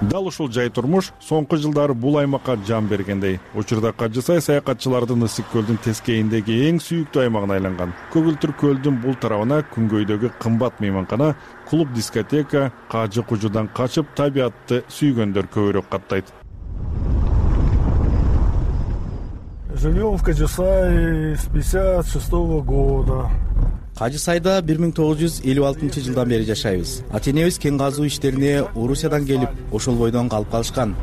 Дал ушул жай турмуш соңку жылдары бул аймакка жан бергендей. Учурда Кажы сай саякатчылардын Ысык көлдүн тескейиндеги эң сүйүктүү аймагына айланган. Көгүлтүр көлдүн бул тарабына күнгөйдөгү кымбат мейманкана, клуб, дискотека, кажы кужудан качып табиатты сүйгөндөр көбүрөөк каттайт. Живем в Кажысае с пятьдесят шестого года. Кажы сайда бир миң тогуз жүз элүү алтынчы жылдан бери жашайбыз. Ата-энебиз кен казуу иштерине Орусиядан келип, ошол бойдон калып калышкан.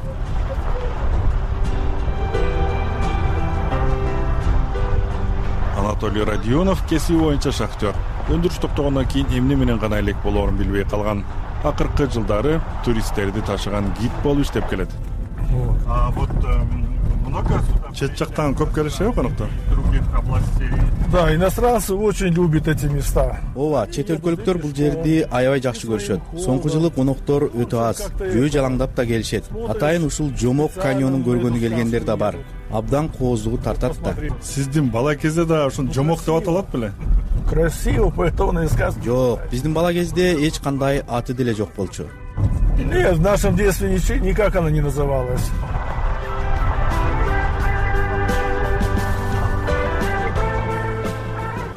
Анатолий Родионов кесиби боюнча шахтер. Өндүрүш токтогондон кийин эмне менен гана элек болоорун билбей калган. Акыркы жылдары туристтерди ташыган гид болуп иштеп келет. А вот чет жактан көп келишеби конокто? Да, иностранцы очень любят эти места. Ооба, чет өлкөлүктөр бул жерди аябай жакшы көрүшөт. Соңку жылы коноктор өтө аз, жөө жалаңдап да келишет. Атайын ушул Жомок каньонун көргөнү келгендер да бар. Абдан кооздугу тартат да. Сиздин бала кезде да ушун Жомок деп аталат беле? Красиво, поэтому сказка. Жок, биздин бала кезде эч кандай аты деле жок болчу. Нет, в нашем детстве никак она не называлась.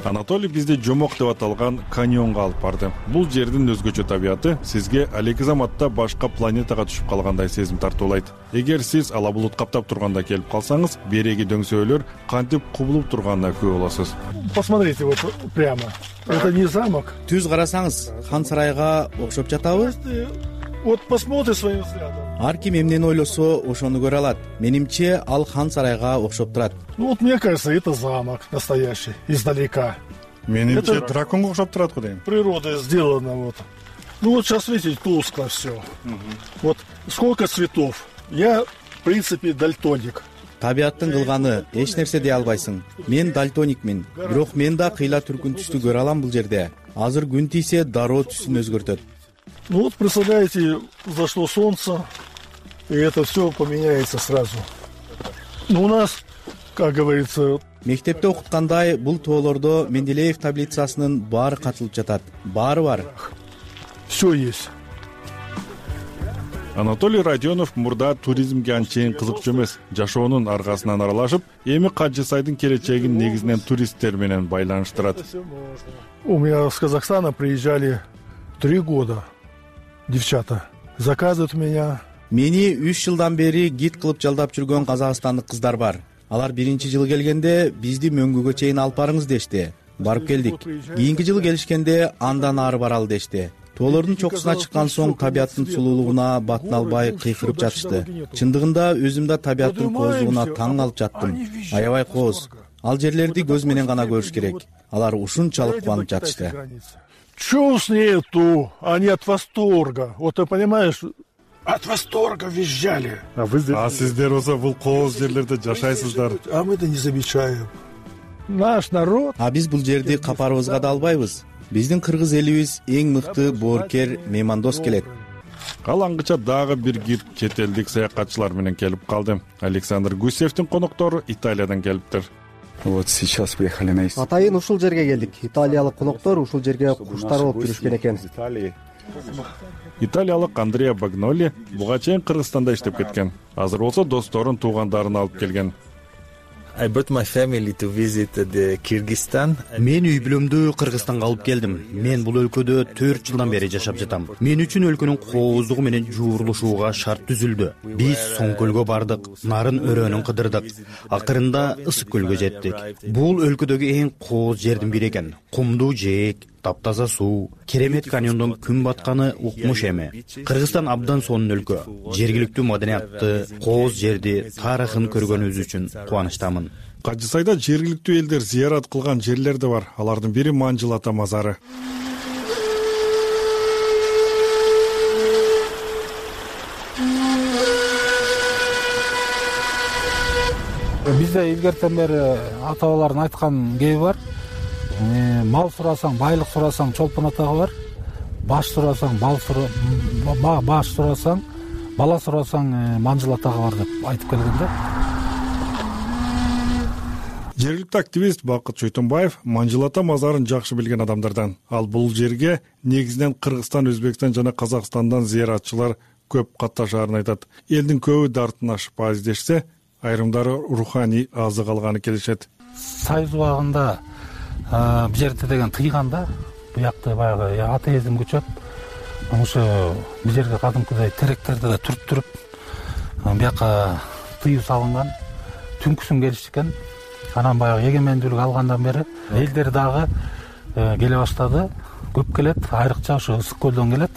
Анатолий бизди Жомок деп аталган каньонго алып барды. Бул жердин өзгөчө табияты сизге алейки заматта башка планетага түшүп калгандай сезим тартуулайт. Эгер сиз ала булут каптап турганда келип калсаңыз, береги дөңсөөлөр кантип кубулуп турганына күбө болосуз. Посмотрите вот прямо. Это не замок. Түз карасаңыз, хан сарайга окшоп жатабы? Вот посмотри своим взглядом. Ар ким эмнени ойлосо ошону көрө алат. Менимче ал хан сарайга окшоп турат. Ну вот мне кажется, это замок настоящий, издалека. Менимче драконго окшоп турат го дейм. Природой сделано вот. Ну вот сейчас видите, тускло все. Вот сколько цветов. Я, в принципе, дальтоник. Табияттын кылганы эч нерсе дей албайсың. Мен дальтоникмин, бирок мен да кыйла түркүн түстү көрө алам бул жерде. Азыр күн тийсе дароо түсүн өзгөртөт. Ну вот представляете, зашло солнце, и это все поменяется сразу. Ну у нас, как говорится... Мектепте окуткандай бул тоолордо Менделеев таблицасынын баары катылып жатат. Баары бар. Все есть. Анатолий Родионов мурда туризмге анчейин кызыкчу эмес, жашоонун аргасынан аралашып, эми Кажы Сайдын келечегин негизинен туристтер менен байланыштырат. У меня с Казахстана приезжали три года девчата. Заказывают меня. Мени үч жылдан бери гид кылып жалдап жүргөн казакстандык кыздар бар. Алар биринчи жылы келгенде бизди мөңгүгө чейин алып барыңыз дешти. Барып келдик. Кийинки жылы келишкенде андан ары баралы дешти. Тоолордун чокусуна чыккан соң табияттын сулуулугуна батын албай кыйкырып жатышты. Чындыгында өзүм да табияттын кооздугуна таң калып жаттым. Аябай кооз. Ал жерлерди көз менен гана көрүш керек. Алар ушунчалык кубанып жатышты. Чувств нету, они от восторга. Вот ты понимаешь, от восторга визжали. А вы здесь? А сиздер болсо бул кооз жерлерде жашайсыздар. А мы да не замечаем. Наш народ. А биз бул жерди капарыбызга да албайбыз. Биздин кыргыз элибиз эң мыкты боорукер, меймандос келет. Ал аңгыча дагы бир гид чет элдик саякатчылар менен келип калды. Александр Гусевдин коноктору Италиядан келиптир. Вот сейчас приехали на Италию. Атайын ушул жерге келдик. Италиялык коноктор ушул жерге куштар болуп жүрүшкөн экен. Италиялык Андреа Багноли буга чейин Кыргызстанда иштеп кеткен. Азыр болсо досторун, туугандарын алып келген. I brought my family to visit the Kyrgyzstan. Мен үй бүлөмдү Кыргызстанга алып келдим. Мен бул өлкөдө төрт жылдан бери жашап жатам. Мен үчүн өлкөнүн кооздугу менен жуурулушууга шарт түзүлдү. Биз Соң көлгө бардык, нарын өрөөнүн кыдырдык. Акырында Ысык көлгө жеттик. Бул өлкөдөгү эң кооз жердин бири экен. Кумдуу жээк, таптаза суу, керемет каньондон күн батканы укмуш эми. Кыргызстан абдан сонун өлкө. Жергиликтүү маданиятты, кооз жерди, тарыхын көргөнүбүз үчүн кубанычтамын. Кажы Сайда жергиликтүү элдер зыярат кылган жерлер да бар. Алардын бири Манжыл ата мазары. Бизде илгертен бери ата бабалардын айткан кеби бар. Мал сурасаң, байлык сурасаң, чолпон атага бар. Баш сурасаң, бал сура, баш сурасаң, бала сурасаң, Манжыл атага бар деп айтып келген да. Жергиликтүү активист Бакыт Чойтонбаев Манжыл ата мазарын жакшы билген адамдардан. Ал бул жерге негизинен Кыргызстан, Өзбекстан жана Казакстандан зыяратчылар көп катташаарын айтат. Элдин көбү дартын ашпай издешсе, айрымдары руханий азык алганы келишет. Союз убагында бул жерде деген тыйганда, буякта баягы атеизм күчөп, ошо бул жерге кадимкидей теректерди да түрт туруп, буяка тыюу салынган, түнкүсүн келишкен. Анан баягы эгемендүүлүк алгандан бери элдер дагы келе баштады. Көп келет, айрыкча ошо Ысык көлдөн келет,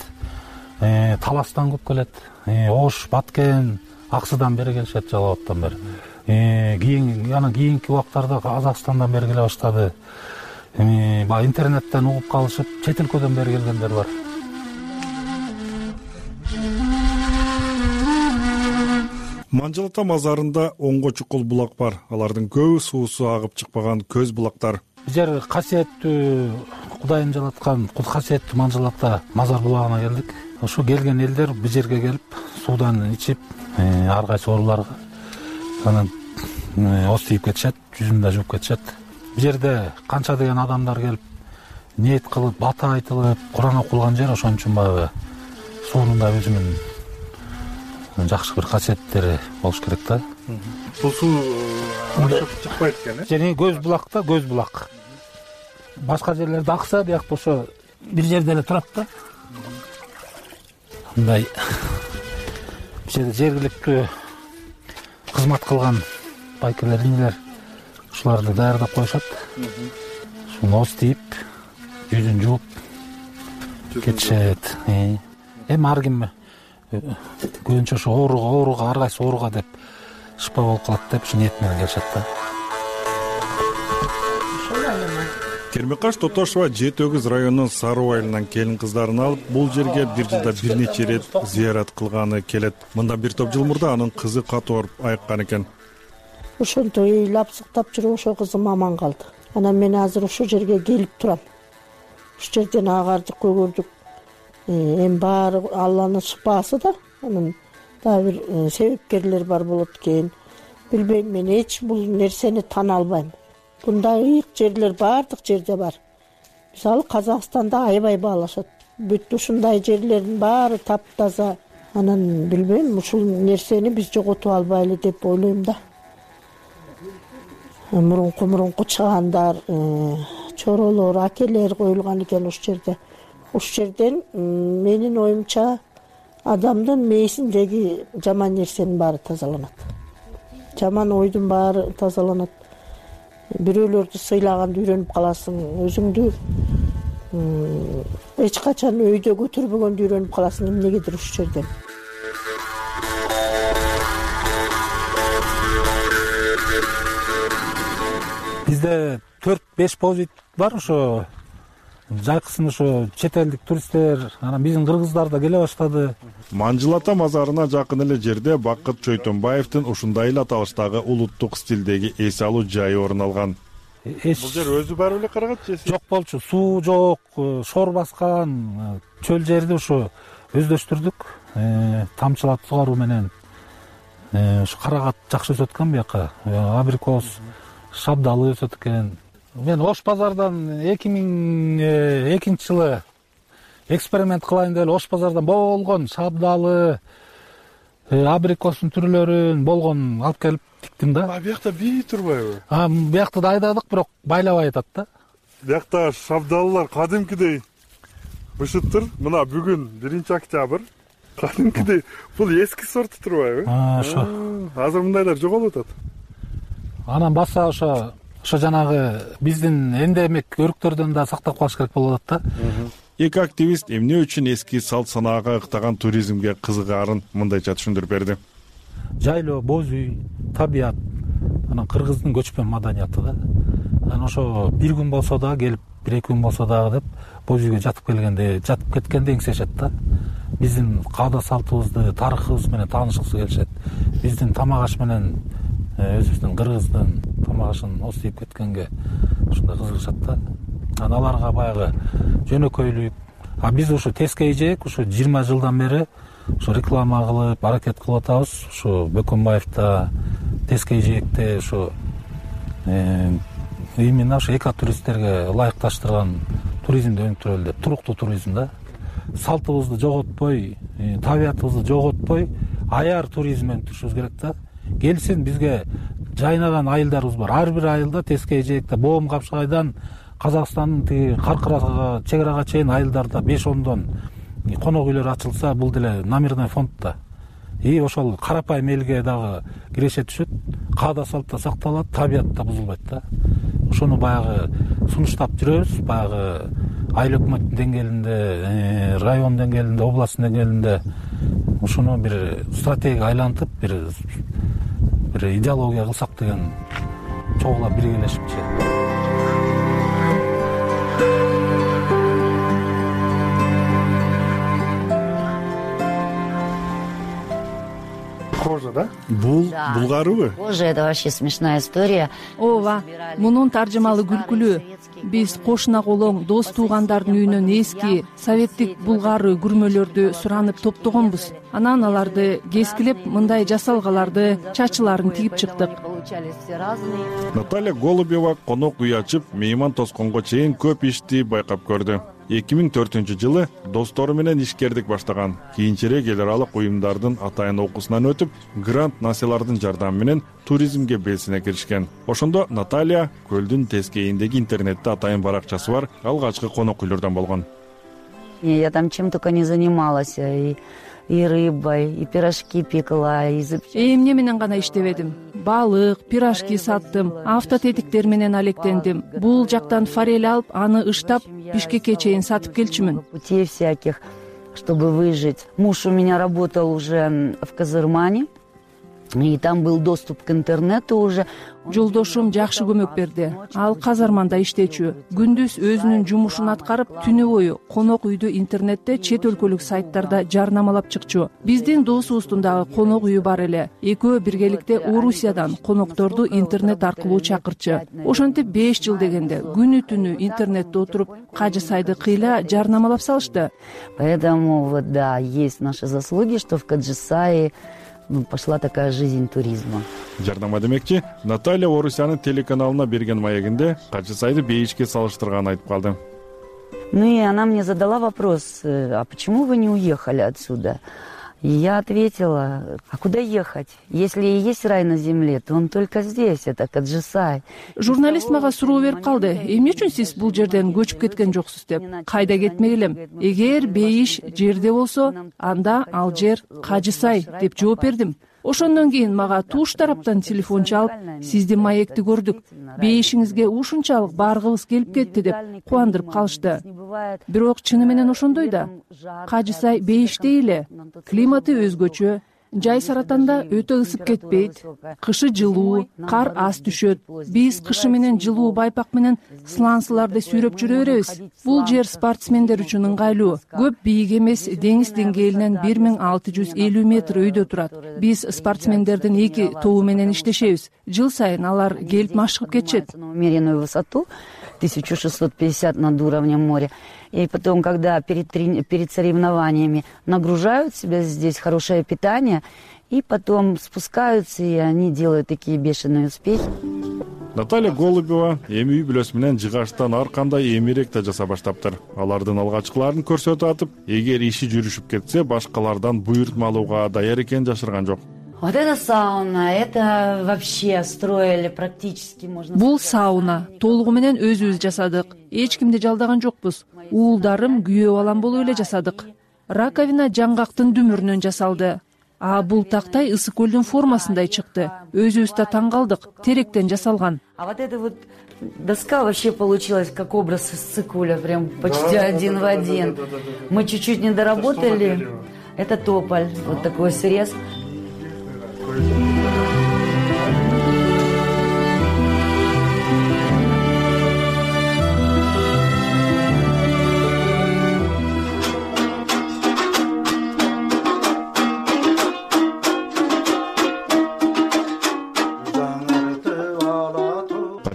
Таластан көп келет, Ош, Баткен, Аксыдан бери келишет, Жалал Абадтан бери. Кийин анан кийинки убактарда Казакстандан бери келе баштады. Баягы интернеттен угуп калышып, чет өлкөдөн бери келгендер бар. Манжыл ата мазарында онго чукул булак бар. Алардын көбү суусу агып чыкпаган көз булактар. Бул жер касиеттүү, Кудайым жараткан касиеттүү Манжыл ата мазар булагына келдик. Ошо келген элдер бул жерге келип, суудан ичип, ар кайсы ооруларга анан оз тийип кетишет, жүзүн да жууп кетишет. Бул жерде канча деген адамдар келип, ниет кылып, бата айтылып, Куран окулган жер, ошон үчүн баягы суунун да өзүнүн жакшы бир касиеттери болуш керек да. Бул суу чыкпайт экен, э? Жени көз булак да, көз булак. Башка жерлерде акса, биякта ошо бир жерде эле турат да. Мындай бул жерде жергиликтүү кызмат кылган байкелер, инелер ушуларды даярдап коюшат. Ушуну оз тийип, жүзүн жууп кетишет. Эми ар ким көбүнчө ошо ооруга ооруга ар кайсы ооруга деп шыпа болуп калат деп ушу ниет менен келишет да. Кермекаш Тотошова Жети Өгүз районунун Саруу айылынан келин кыздарын алып, бул жерге бир жылда бир нече ирет зыярат кылганы келет. Мындан бир топ жыл мурда анын кызы катуу ооруп айыккан экен. Ошонтип ыйлап сыктап жүрүп ошо кызым аман калды. Анан мен азыр ушул жерге келип турам. Ушул жерден агардык, көгөрдүк. Эми баары Алланын шыпаасы да. Анан дагы бир себепкерлер бар болот экен. Билбейм, мен эч бул нерсени тана албайм. Мындай ыйык жерлер баардык жерде бар. Мисалы Казакстанда аябай баалашат. Бүт ушундай жерлердин баары таптаза. Анан билбейм, ушул нерсени биз жоготуп албайлы деп ойлойм да. Мурунку мурунку чыгандар, чоролор, акелер коюлган экен ушул жерде. Ушул жерден менин оюмча адамдын мээсиндеги жаман нерсенин баары тазаланат. Жаман ойдун баары тазаланат. Бирөөлөрдү сыйлаганды үйрөнүп каласың, өзүңдү эч качан өйдө көтөрбөгөндү үйрөнүп каласың эмнегедир ушул жерден. Бизде төрт беш позит бар, ошо жайкысын ошо чет элдик туристтер, анан биздин кыргыздар да келе баштады. Манжыл ата мазарына жакын эле жерде Бакыт Чойтонбаевдин ушундай эле аталыштагы улуттук стилдеги эс алуу жайы орун алган. Бул жер өзү барып эле карагат же? Жок болчу, суу жок, шор баскан, чөл жерди ушу өздөштүрдүк. Тамчылап сугаруу менен ушу карагат жакшы өсөт экен бияка. Абрикос, шабдалы өсөт экен. Мен Ош базардан эки миң экинчи жылы эксперимент кылайын деп Ош базардан болгон шабдалы, абрикостун түрлөрүн болгон алып келип тиктим да. А биякта бий турбайбы? А биякта да айдадык, бирок байлабай атат да. Биякта шабдалылар кадимкидей бышыттыр. Мына бүгүн биринчи октябрь. Кадимкидей бул эски сортту турбайбы? Ошо. Азыр мындайлар жоголуп атат. Анан баса ошо ошо жанагы биздин эндемик өрүктөрдөн да сактап калыш керек болуп атат да. Эки активист эмне үчүн эски салт санаага ыктаган туризмге кызыгаарын мындайча түшүндүрүп берди. Жайлоо, боз үй, табият, анан кыргыздын көчмөн маданияты да. Анан ошо бир күн болсо да келип, бир эки күн болсо дагы деп боз үйгө жатып келгенде, жатып кеткенде эңсешет да. Биздин каада салтыбызды, тарыхыбыз менен таанышкысы келишет. Биздин тамак аш менен өзүбүздүн кыргыздын тамак ашын остуйуп кеткенге ушундай кызыгышат да. Анан аларга баягы жөнөкөйлүк. А биз ушу тескей жээк ушу жыйырма жылдан бери ушу реклама кылып, аракет кылып атабыз. Ушу Бөкөнбаевда, тескей жээкте ушу именно ушу экотуристтерге ылайыкташтырган туризмди өнүктүрөлү деп, туруктуу туризм да. Салтыбызды жоготпой, табиятыбызды жоготпой, аяр туризм өнүктүрүшүбүз керек да. Келсин, бизге жайнаган айылдарыбыз бар. Ар бир айылда тескей жээкте, Боом Капшагайдан Казакстандын тиги Каркырага, чек арага чейин айылдарда беш ондон конок үйлөр ачылса, бул деле номерной фонд да. И ошол карапайым элге дагы киреше түшөт, каада салтта сакталат, табият да бузулбайт да. Ошону баягы сунуштап жүрөбүз, баягы айыл өкмөттүн деңгээлинде, район деңгээлинде, областтын деңгээлинде ушуну бир стратегияга айлантып, бир бир идеология кылсак деген чогулап биргелешипчи. Кожа, да? Бул булгарыбы? Кожа — это вообще смешная история. Ооба, мунун таржымалы күлкүлүү. Биз кошуна колоң дос туугандардын үйүнөн эски советтик булгары күрмөлөрдү суранып топтогонбуз. Анан аларды кескилеп, мындай жасалгаларды, чачыларын тигип чыктык. Наталья Голубева конок үй ачып, мейман тосконго чейин көп ишти байкап көрдү. эки миң төртүнчү жылы достору менен ишкердик баштаган. Кийинчерээк эл аралык уюмдардын атайын окуусунан өтүп, грант насыялардын жардамы менен туризмге белсине киришкен. Ошондо Наталья көлдүн тескейиндеги интернетте атайын баракчасы бар алгачкы конок үйлөрдөн болгон. Я там чем только не занималась, и, и рыбой, и пирожки пекла, и эмне менен гана иштебедим. Балык, пирожки саттым, автотетиктер менен алектендим. Бул жактан форель алып, аны ыштап, Бишкекке чейин сатып келчүмүн. Путей всяких. чтобы выжить. Муж у меня работал уже в Казырмане, и там был доступ к интернету уже. Жолдошум жакшы көмөк берди. Ал Казарманда иштечү. Күндүз өзүнүн жумушун аткарып, түнү бою конок үйдү интернетте чет өлкөлүк сайттарда жарнамалап чыкчу. Биздин досубуздун дагы конок үйү бар эле. Экөө биргеликте Орусиядан конокторду интернет аркылуу чакырчу. Ошентип беш жыл дегенде күнү түнү интернетте отуруп, Кажы Сайды кыйла жарнамалап салышты. Поэтому вот да, есть наши заслуги, что в Каджысае пошла такая жизнь туризма. Жарнама демекчи, Наталья Орусиянын телеканалына берген маегинде Кажы Сайды бейишке салыштырганын айтып калды. Ну и она мне задала вопрос: а почему вы не уехали отсюда? И я ответила: а куда ехать? Если и есть рай на земле, то он только здесь, это Каджысай. Журналист мага суроо берип калды: эмне үчүн сиз бул жерден көчүп кеткен жоксуз деп. Кайда кетмек элем? Эгер бейиш жерде болсо, анда ал жер Кажысай деп жооп бердим. Ошондон кийин мага туш тараптан телефон чалып: сиздин маекти көрдүк, бейишиңизге ушунчалык баргыбыз келип кетти деп кубандырып калышты. Бирок чыны менен ошондой да. Кажысай бейиштей эле, климаты өзгөчө. Жай Саратанда өтө ысып кетпейт, кышы жылуу, кар аз түшөт. Биз кышы менен жылуу байпак менен слансыларды сүйрөп жүрө беребиз. Бул жер спортсмендер үчүн ыңгайлуу. Көп бийик эмес, деңиз деңгээлинен бир миң алты жүз элүү метр өйдө турат. Биз спортсмендердин эки тобу менен иштешебиз. Жыл сайын алар келип машыгып кетишет. Умеренную высоту тысяча шестьсот пятьдесят над уровнем моря. И потом, когда перед, перед соревнованиями нагружают себя здесь хорошее питание, и потом спускаются, и они делают такие бешеные успехи. Наталья Голубева эми үй бүлөсү менен жыгачтан ар кандай эмирек да жаса баштаптыр. Алардын алгачкыларын көрсөтүп атып, эгер иши жүрүшүп кетсе, башкалардан буйртма алууга даяр экенин жашырган жок. Вот это сауна, это вообще строили практически, можно сказать. Бул сауна, толугу менен өзүбүз жасадык. Эч кимди жалдаган жокпуз. Уулдарым күйөө балам болуп эле жасадык. Раковина жаңгактын дүмүрүнөн жасалды. А бул тактай ысык көлдүн формасындай чыкты. Өзүбүз да таң калдык. Теректен жасалган. А вот эта вот доска вообще получилась как образ из цикуля, прям почти один в один. Мы чуть-чуть не доработали. Это тополь, вот такой срез.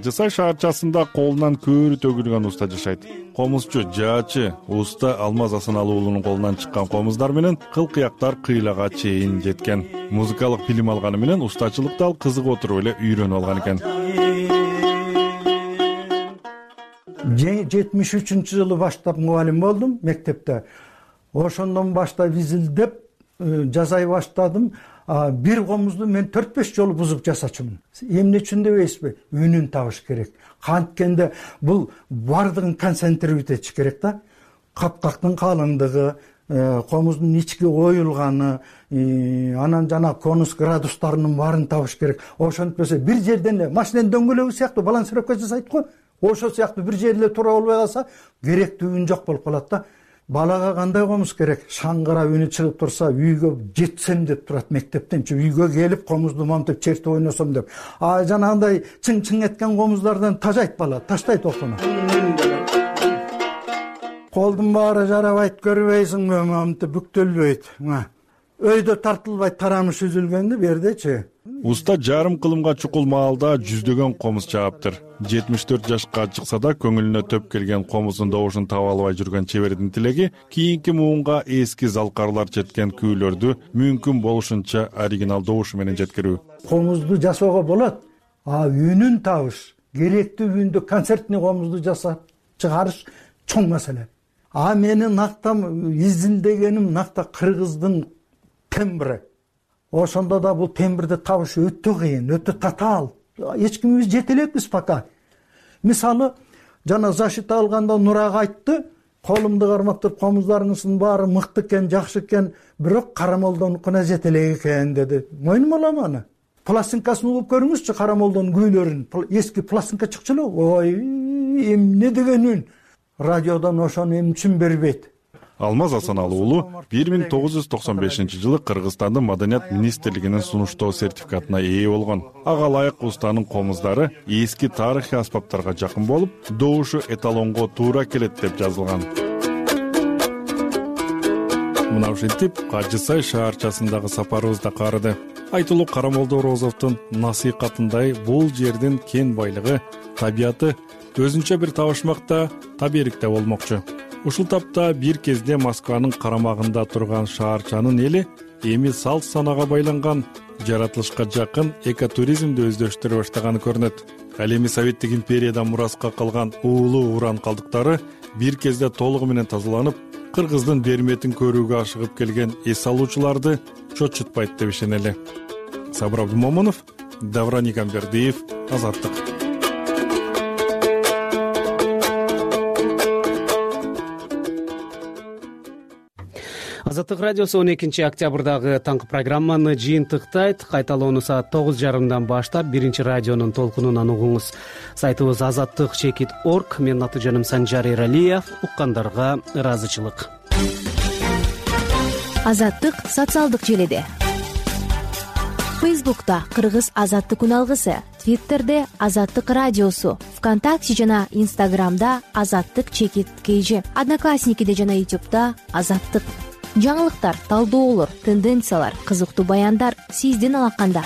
Кажысай шаарчасында колунан көөрү төгүлгөн уста жашайт. Комузчу, жаачы, уста Алмаз Асаналы уулунун колунан чыккан комуздар менен кыл-кыяктар кыйлага чейин жеткен. Музыкалык билим алганы менен устачылыкты ал кызыгып отуруп эле үйрөнүп алган экен. жетимиш үчүнчү жылы баштап мугалим болдум мектепте. Ошондон баштап изилдеп жасай баштадым. Бир комузду мен төрт беш жолу бузуп жасачумун. Эмне үчүн дебейсизби? Үнүн табыш керек. Канткенде бул бардыгын концентрировать этиш керек да. Капкактын калыңдыгы, комуздун ички оюлганы, анан жана конус градустарынын баарын табыш керек. Ошентпесе бир жерден эле машинанын дөңгөлөгү сыяктуу балансировка жасайт го. Ошо сыяктуу бир жерде тура болбой калса, керектүү үн жок болуп калат да. Балага кандай комуз керек? Шаңгырап үнү чыгып турса, үйгө жетсем деп турат мектептенчи. Үйгө келип комузду монтип чертип ойносом деп. А жанагындай чың-чың эткен комуздардан тажайт бала, таштайт окуну. Колдун баары жарабайт, көрбөйсүңбү, монтип бүктөлбөйт. Өйдө тартылбайт, тарамыш үзүлгөндү бердечи. Уста жарым кылымга чукул маалда жүздөгөн комуз чааптыр. жетимиш төрт жашка чыкса да көңүлүнө төп келген комуздун добушун таба албай жүргөн чебердин тилеги кийинки муунга эски залкарлар четкен күүлөрдү мүмкүн болушунча оригинал добушу менен жеткирүү. Комузду жасоого болот, а үнүн табыш, керектүү үндү концертный комузду жасап чыгарыш чоң маселе. А менин нактам изилдегеним накта кыргыздын тембри. Ошондо да бул тембрди табыш өтө кыйын, өтө татаал. Эч кимибиз жете элекпиз пока. Мисалы, жана защита алганда Нурага айтты, колумду кармап туруп, комуздарыңыздын баары мыкты экен, жакшы экен, бирок Карамолдонукуна жете элек экен деди. Мойнум алам аны. Пластинкасын угуп көрүңүзчү Карамолдонун күүлөрүн. Эски пластинка чыкчу эле. Ой, эмне деген үн. Радиодон ошону эмне үчүн бербейт? Алмаз Асаналы уулу бир миң тогуз жүз токсон бешинчи жылы Кыргызстандын Маданият министрлигинин сунуштоо сертификатына ээ болгон. Ага ылайык устанын комуздары эски тарыхый аспаптарга жакын болуп, добушу эталонго туура келет деп жазылган. Мына ушинтип Кажы Сай шаарчасындагы сапарыбыз да карыды. Айтылуу Карамолдо Орозовдун насыйкатындай бул жердин кен байлыгы, табияты өзүнчө бир табышмакта, таберикте болмокчу. Ушул тапта бир кезде Москванын карамагында турган шаарчанын эли эми салт санага байланган, жаратылышка жакын экотуризмди өздөштүрө баштаганы көрүнөт. Ал эми Советтик империядан мураска калган уулуу уран калдыктары бир кезде толугу менен тазаланып, Кыргыздын берметин көрүүгө ашыгып келген эс алуучуларды чочутпайт деп ишенели. Сабыр Абдумомунов, Давран Игамбердиев, Азаттык. Азаттык радиосу он экинчи октябрдагы таңкы программаны жыйынтыктайт. Кайталоону саат тогуз жарымдан баштап биринчи радионун толкунунан угуңуз. Сайтыбыз азаттык чекит точка орг. Менин аты жөнүм Санжар Эралиев. Уккандарга ыраазычылык. Азаттык социалдык желиде. Фейсбукта Кыргыз азаттык үналгысы, Твиттерде Азаттык радиосу, ВКонтакте жана Инстаграмда Азаттык чекит кж, Одноклассникиде жана Ютубта Азаттык. Жаңылыктар, талдоолор, тенденциялар, кызыктуу баяндар сиздин алаканда.